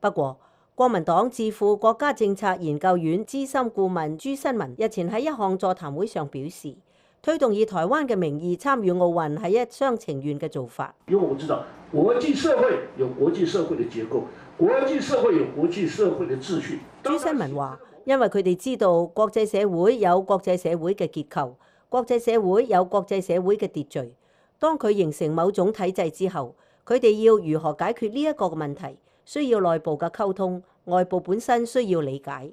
不過，國民黨智庫國家政策研究院資深顧問朱新文日前喺一項座談會上表示，推動以台灣嘅名義參與奧運係一廂情願嘅做法。因為我知道國際社會有國際社會嘅結構，國際社會有國際社會嘅秩序。朱新文話，因為佢哋知道國際社會有國際社會嘅結構，國際社會有國際社會嘅秩序。當佢形成某種體制之後，佢哋要如何解決呢一個問題，需要內部嘅溝通，外部本身需要理解。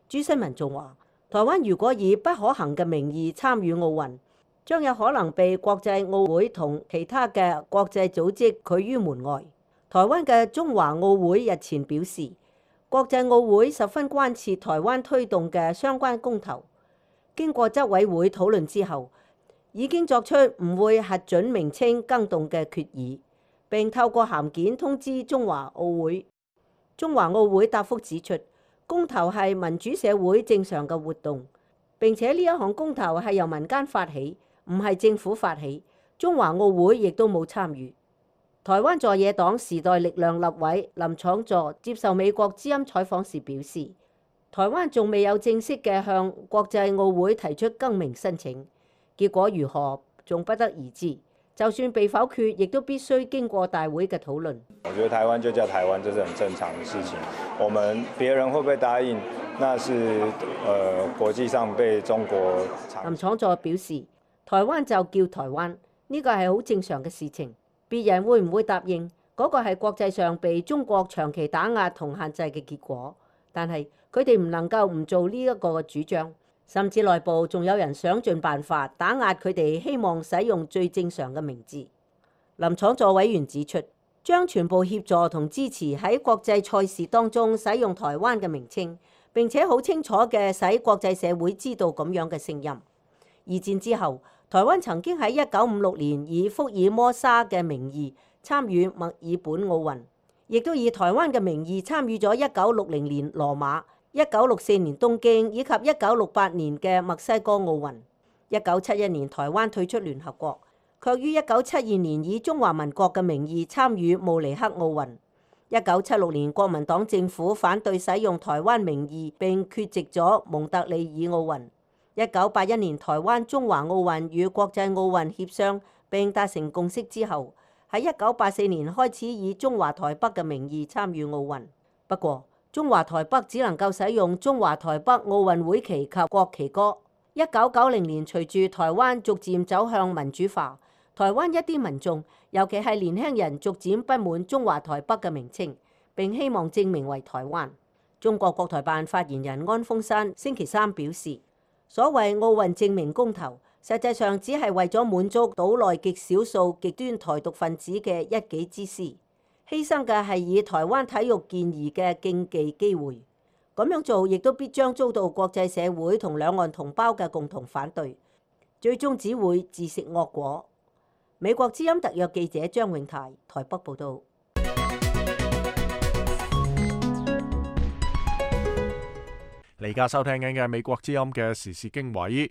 朱新文仲話，台灣如果以不可行嘅名義參與奧運，將有可能被國際奧會同其他嘅國際組織拒於門外。台灣嘅中華奧會日前表示，國際奧會十分關切台灣推動嘅相關公投，經過執委會討論之後，已經作出唔會核准名稱更動嘅決議，並透過函件通知中華奧會。中華奧會答覆指出，公投係民主社會正常嘅活動，並且呢一項公投係由民間發起，唔係政府發起。中華奧會亦都冇參與。台灣在野黨時代力量立委林昶佐接受美國之音採訪時表示，台灣仲未有正式嘅向國際奧會提出更名申請。結果如何，仲不得而知。就算被否決，亦都必須經過大會嘅討論。我覺得台灣就叫台灣，這是很正常的事情。我們別人會不會答應，那是國際上被中國。林昶佐表示，台灣就叫台灣，呢個係好正常嘅事情。別人會唔會答應，嗰個係國際上被中國長期打壓同限制嘅結果。但係佢哋唔能夠唔做呢一個主張。甚至內部仲有人想盡辦法打壓佢哋希望使用最正常嘅名字。林昶佐委員指出，將全部協助同支持喺國際賽事當中使用台灣嘅名稱，並且好清楚嘅使國際社會知道咁樣嘅聲音。二戰之後，台灣曾經喺1956年以福爾摩沙嘅名義參與墨爾本奧運，亦都以台灣嘅名義參與咗1960年羅馬、1964年東京以及1968年嘅墨西哥奧運。1971年台灣退出聯合國，卻於1972年以中華民國嘅名義參與慕尼黑奧運。1976年國民黨政府反對使用台灣名義並缺席咗蒙特利爾奧運。1981年台灣中華奧運與國際奧運協商並達成共識之後，喺1984年開始以中華台北嘅名義參與奧運。不過，中華台北只能夠使用中華台北奧運會旗及國旗歌。1990年隨住台灣逐漸走向民主化，台灣一啲民眾，尤其係年輕人，逐漸不滿中華台北嘅名稱，並希望正名為台灣。中國國台辦發言人安峰山星期三表示，所謂奧運正名公投，實際上只係為咗滿足島內極少數極端台獨分子嘅一己之私，犧牲嘅係以台灣體育健兒嘅競技機會。咁樣做亦都必將遭到國際社會同兩岸同胞嘅共同反對，最終只會自食惡果。美國之音特約記者張永泰台北報導。你而家收聽緊嘅美國之音嘅時事經緯。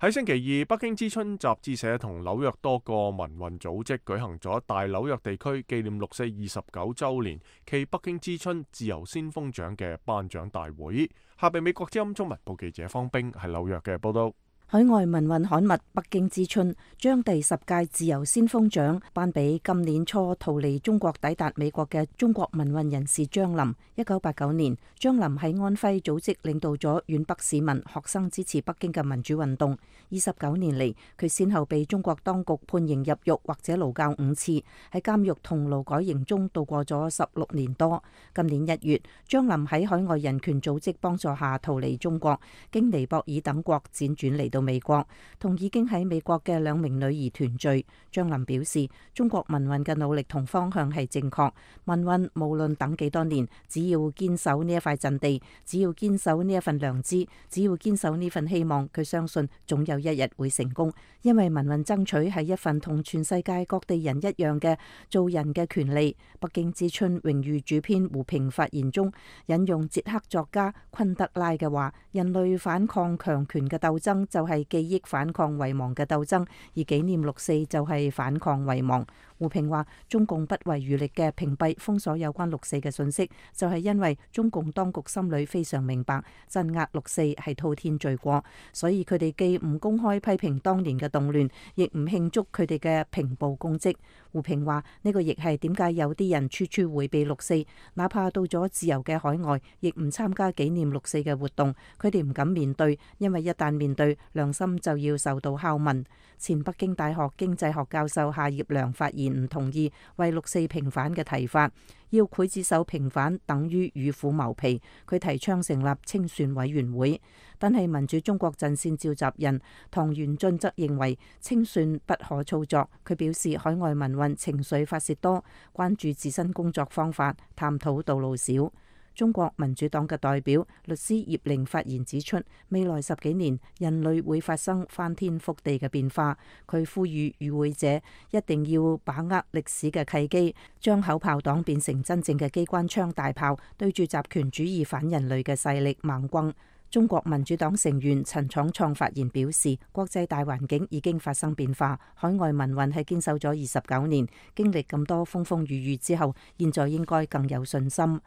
喺星期二，北京之春雜誌社同紐約多個民運組織舉行咗大紐約地區紀念六四29週年暨北京之春自由先鋒獎嘅頒獎大會。下邊美國之音中文部記者方冰喺紐約嘅報道。海外民運刊物《北京之春》將第10屆自由先鋒獎頒俾今年初逃離中國抵達美國嘅中國民運人士張林。1989年，張林喺安徽組織領導咗皖北市民學生支持北京嘅民主運動。29年嚟，佢先後被中國當局判刑入獄或者勞教5次，喺監獄同勞改營中度過咗16年多。今年1月，張林喺海外人權組織幫助下逃離中國，經尼泊爾等國輾轉嚟到美國，同已經喺美國嘅2名女兒團聚。張林表示，中國民運嘅努力同方向係正確，民運無論等幾多年，只要堅守呢一塊陣地，只要堅守呢一份良知，只要堅守呢份希望，佢相信總有一日會成功。因為民運爭取係一份同全世界各地人一樣嘅做人嘅權利。北京之春榮譽主編胡平發言中引用捷克作家昆德拉嘅話：人類反抗強權嘅鬥爭就係記憶反抗遺忘嘅鬥爭，而紀念六四就係反抗遺忘。胡平話：中共不遺餘力嘅屏蔽封鎖有關六四嘅信息，就係因為中共當局心裏非常明白鎮壓六四係滔天罪過，所以佢哋既唔公開批評當年嘅動亂，亦唔慶祝佢哋嘅平暴功績。胡平話：呢個亦係點解有啲人處處迴避六四，哪怕到咗自由嘅海外，亦唔參加紀念六四嘅活動。佢哋唔敢面對，因為一旦面對，良心就要受到拷問。前北京大學經濟學教授夏業良發言唔同意為六四平反嘅提法，要劊子手平反等於與虎謀皮。佢提倡成立清算委員會，但係民主中國陣線召集人唐元俊則認為清算不可操作。佢表示海外民運情緒發洩多，關注自身工作方法，探討道路少。中國民主黨嘅代表律師葉玲發言指出，未來10幾年人類會發生翻天覆地嘅變化。佢呼籲與會者一定要把握歷史嘅契機，將口炮黨變成真正嘅機關槍大炮，對住集權主義反人類嘅勢力猛轟。中國民主黨成員陳闖創發言表示，國際大環境已經發生變化，海外民運係堅守咗29年，經歷咁多風風雨雨之後，現在應該更有信心。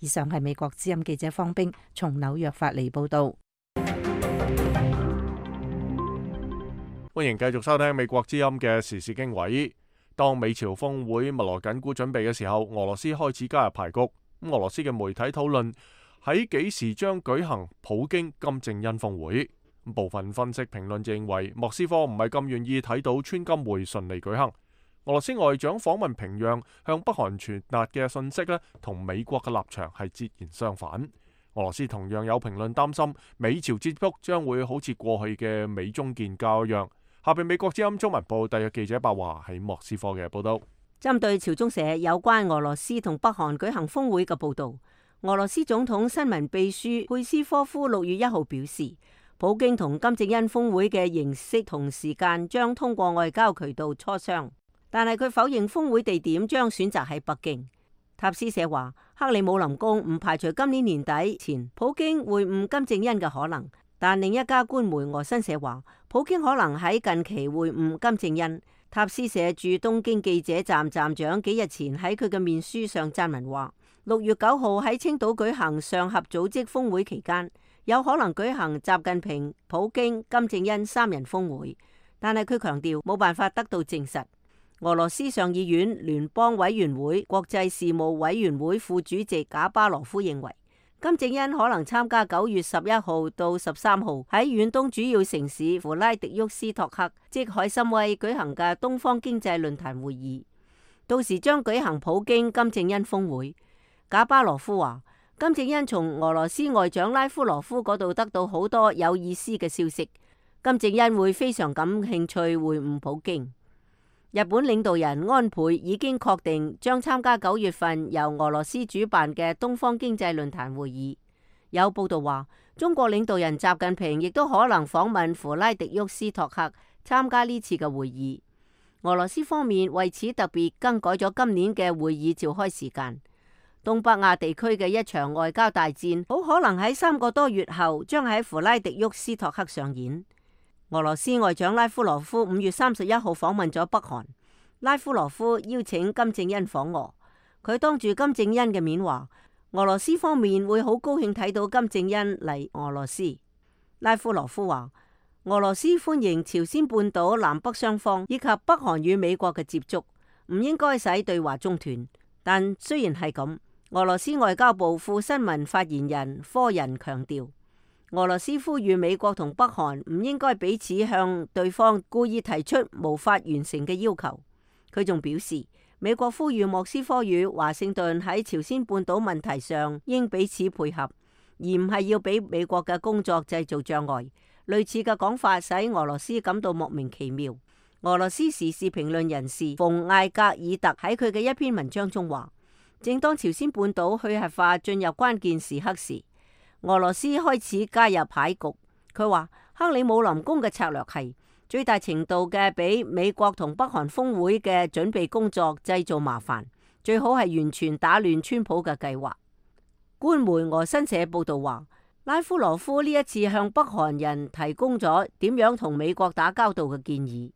以上係美國之音記者方冰從紐約發嚟報道。歡迎繼續收聽美國之音嘅時事經緯。當美朝峰會密鑼緊鼓準備嘅時候，俄羅斯開始加入牌局。俄羅斯嘅媒體討論喺幾時將舉行普京金正恩峰會。部分分析評論認為，莫斯科唔係咁願意睇到川金會順利舉行。俄羅斯外長訪問平壤，向北韓傳達嘅信息同美國嘅立場係截然相反。俄羅斯同樣有評論擔心美朝接觸將會好似過去嘅美中建交一樣。下邊美國之音中文部特約記者白華喺莫斯科嘅報道。針對朝中社有關俄羅斯同北韓舉行峰會嘅報導，俄羅斯總統新聞秘書佩斯科夫6月1號表示，普京同金正恩峰會嘅形式同時間將通過外交渠道磋商，但係佢否認峰會地點將選擇喺北京。塔斯社話，克里姆林宮唔排除今年年底前普京會晤金正恩嘅可能，但另一家官媒俄新社話，普京可能喺近期會晤金正恩。塔斯社駐東京記者站站長幾日前喺佢嘅面書上撰文話，6月9號喺青島舉行上合組織峰會期間，有可能舉行習近平、普京、金正恩3人峰會，但係佢強調冇辦法得到證實。俄羅斯上議院聯邦委員會國際事務委員會副主席賈巴羅夫認為，金正恩可能參加9月11號到13號喺遠東主要城市弗拉迪沃斯托克即海參崴舉行嘅東方經濟論壇會議，到時將舉行普京金正恩峰會。賈巴羅夫話，金正恩從俄羅斯外長拉夫羅夫嗰度得到好多有意思嘅消息，金正恩會非常感興趣會晤普京。日本領導人安倍已經確定將參加9月份由俄羅斯主辦嘅東方經濟論壇會議。有報道話，中國領導人習近平亦都可能訪問弗拉迪沃斯托克參加呢次嘅會議。俄羅斯方面為此特別更改咗今年嘅會議召開時間。東北亞地區嘅一場外交大戰好可能喺3個多月後將喺弗拉迪沃斯托克上演。俄羅斯外長拉夫羅夫5月31號訪問咗北韓，拉夫羅夫邀請金正恩訪俄，佢當住金正恩嘅面話，俄羅斯方面會好高興睇到金正恩嚟俄羅斯。拉夫羅夫話，俄羅斯歡迎朝鮮半島南北雙方以及北韓與美國嘅接觸，唔應該使對話中斷。但雖然係咁，俄羅斯外交部副新聞發言人科仁強調，俄羅斯呼籲美國同北韓唔應該彼此向對方故意提出無法完成嘅要求。佢仲表示，美國呼籲莫斯科與華盛頓喺朝鮮半島問題上應彼此配合，而唔係要俾美國嘅工作製造障礙。類似嘅講法使俄羅斯感到莫名其妙。俄羅斯時事評論人士馮艾格爾特喺佢嘅一篇文章中話，正當朝鮮半島去核化進入關鍵時刻時，俄羅斯開始加入牌局。佢話克里姆林宮嘅策略係最大程度嘅俾美國同北韓峰會嘅準備工作製造麻煩，最好係完全打亂川普嘅計劃。官媒俄新社報道話，拉夫羅夫呢一次向北韓人提供咗點樣同美國打交道嘅建議。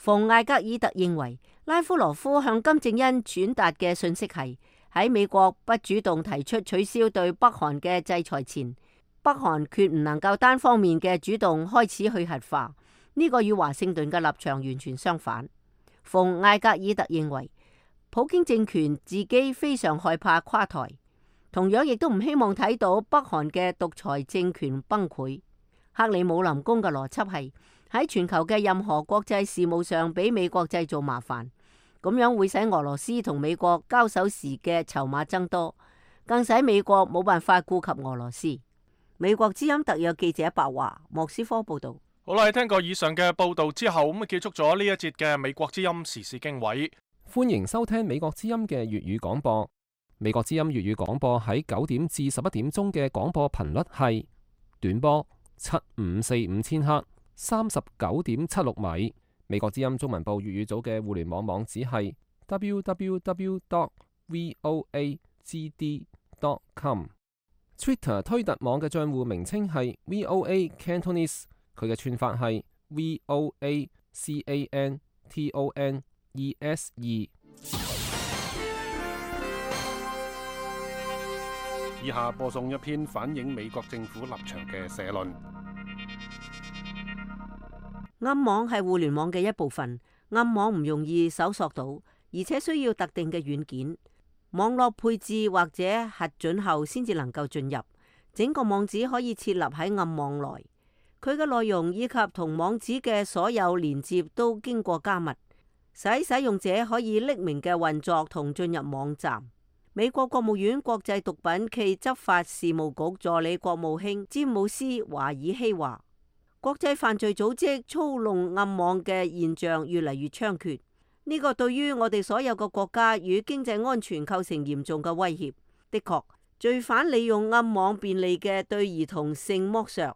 馮艾格爾特認為，拉夫羅夫向金正恩傳達嘅信息係，喺美國不主動提出取消對北韓嘅制裁前，北韓決唔能夠單方面嘅主動開始去核化。呢個與華盛頓嘅立場完全相反。馮艾格爾特認為，普京政權自己非常害怕垮台，同樣亦都唔希望睇到北韓嘅獨裁政權崩潰。克里姆林宮嘅邏輯係喺全球嘅任何國際事務上俾美國製造麻煩。咁樣會使俄羅斯同美國交手時嘅籌碼增多，更使美國冇辦法顧及俄羅斯。美國之音特約記者白華莫斯科報道。好啦，聽過以上嘅報道之後，咁結束咗呢一節嘅美國之音時事經緯。歡迎收聽美國之音嘅粵語廣播。美國之音粵語廣播喺9點至11點鐘嘅廣播頻率係短波7545千赫39.76米。美國之音中文部粵語組嘅互聯網網址係 www.voagd.com。Twitter 推特網嘅賬戶名稱係 VOA Cantonese， 佢嘅串法係 VOACANTONESE。以下播送一篇反映美國政府立場嘅社論。暗網係互聯網嘅一部分，暗網唔容易搜索到，而且需要特定嘅軟件、網絡配置或者核准後先至能夠進入。整個網址可以設立喺暗網內，佢嘅內容以及同網址嘅所有連接都經過加密，使用者可以匿名嘅運作同進入網站。美國國務院國際毒品暨執法事務局助理國務卿詹姆斯·華爾希話，國際犯罪組織操弄暗網嘅現象越嚟越猖獗，呢個對於我哋所有嘅國家與經濟安全構成嚴重嘅威脅。的確，罪犯利用暗網便利嘅對兒童性剝削，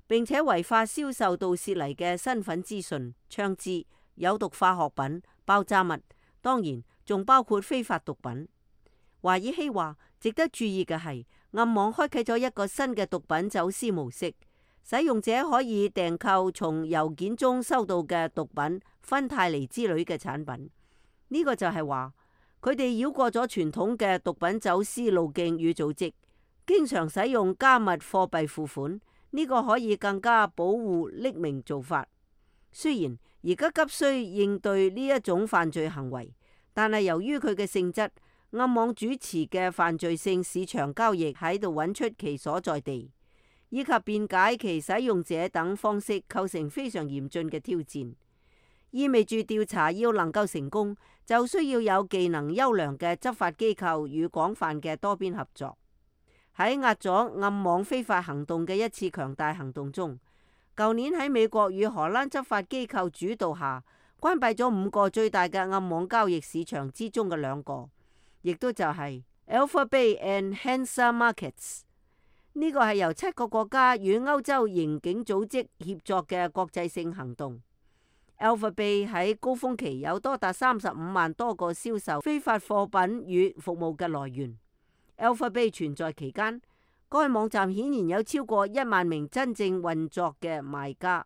並且違法銷售盜竊嚟嘅身份資訊、槍支、有毒化學品、爆炸物，當然仲包括非法毒品。華爾希話，值得注意嘅係，暗網開啟咗一個新嘅毒品走私模式，使用者可以訂購從郵件中收到嘅毒品、芬太尼之類嘅產品。呢個就係話，佢哋繞過咗傳統嘅毒品走私路徑與組織，經常使用加密貨幣付款。呢個可以更加保護匿名做法。雖然而家急需應對呢一種犯罪行為，但係由於佢嘅性質，暗網主持嘅犯罪性市場交易喺度揾出其所在地，以及辯解其使用者等方式，構成非常嚴峻嘅挑戰。意味住調查要能夠成功，就需要有技能優良嘅執法機構與廣泛嘅多邊合作。喺壓咗暗網非法行動嘅一次強大行動中，舊年喺美國與荷蘭執法機構主導下，關閉咗5個最大嘅暗網交易市場之中嘅2個，亦都就係 Alpha Bay and Hansa Markets。呢個係由7個國家與歐洲刑警組織協作嘅國際性行動。Alpha Bay 喺高峰期有多達35萬多個銷售非法貨品與服務嘅來源。Alpha Bay 存在期間，該網站顯然有超過1萬名真正運作嘅賣家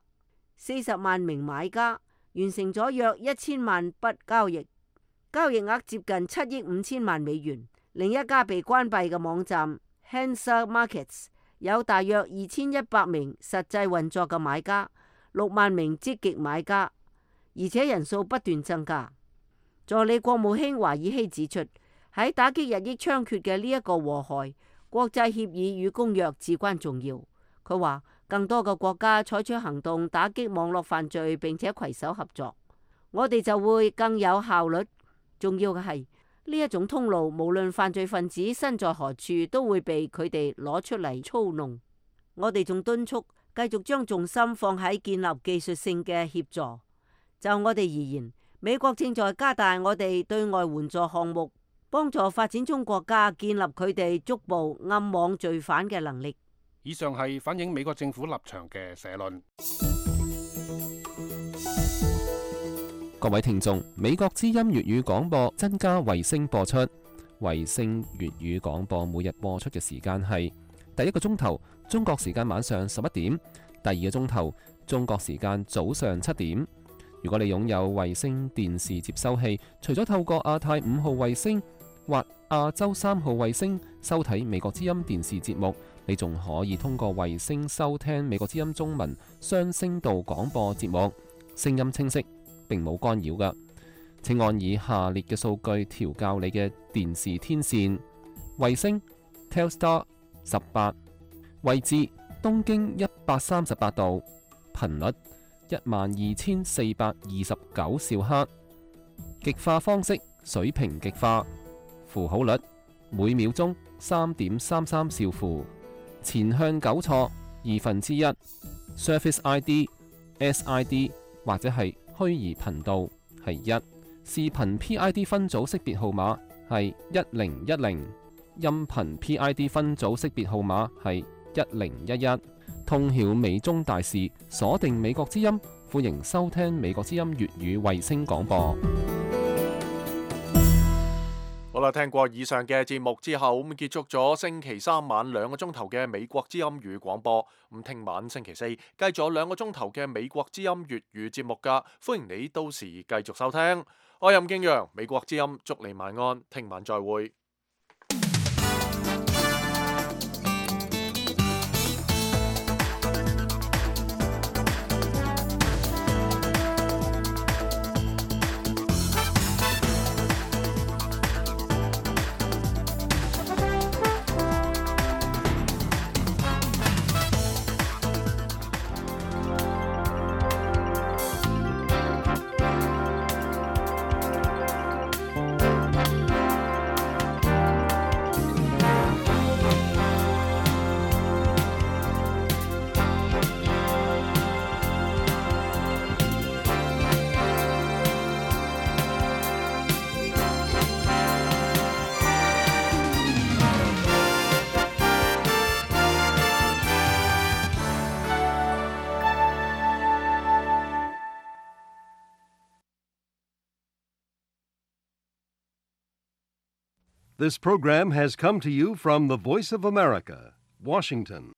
，40萬名買家，完成咗約1000萬筆交易，交易額接近7億5千萬美元。另一家被關閉嘅網站 Hansa Markets 有大約2100名實際運作嘅買家，6萬名積極買家，而且人數不斷增加。助理國務卿華爾希指出，喺打擊日益猖獗嘅呢一個禍害，國際協議與公約至關重要。佢話，更多嘅國家採取行動打擊網絡犯罪，並且攜手合作，我哋就會更有效率。重要嘅係呢一種通路，無論犯罪分子身在何處，都會被佢哋攞出嚟操弄。我哋仲敦促繼續將重心放喺建立技術性嘅協助。就我哋而言，美國正在加大我哋對外援助項目，幫助發展中國家建立佢哋捉捕暗網罪犯嘅能力。以上係反映美國政府立場嘅社論。各位聽眾，美國之音粵語廣播增加衛星播出，衛星粵語廣播每日播出嘅時間係第1個鐘頭中國時間晚上11點，第2個鐘頭中國時間早上7點。如果你擁有衛星電視接收器，除咗透過亞太5號衛星或亞洲3號衛星收睇美國之音電視節目，你仲可以通過衛星收聽美國之音中文雙聲道廣播節目，聲音清晰，並冇干擾㗎。請按以下列嘅數據調校你嘅電視天線：衛星 Telstar 18，位置東經138度，頻率12429兆赫，極化方式水平極化，符號率每秒鐘3.33兆符，前向糾錯1/2， Service ID、SID 或者係虛擬頻道係1，視頻 PID 分組識別號碼係1010，音頻 PID 分組識別號碼係1011。通曉美中大事，鎖定美國之音，歡迎收聽美國之音粵語衛星廣播。好啦，聽過以上嘅節目之後，咁結束咗星期3晚2個鐘頭嘅美國之音粵語廣播。咁聽晚星期4繼續咗2個鐘頭嘅美國之音粵語節目噶，歡迎你到時繼續收聽。我係任敬陽，美國之音，祝你晚安，聽晚再會。This program has come to you from the Voice of America, Washington.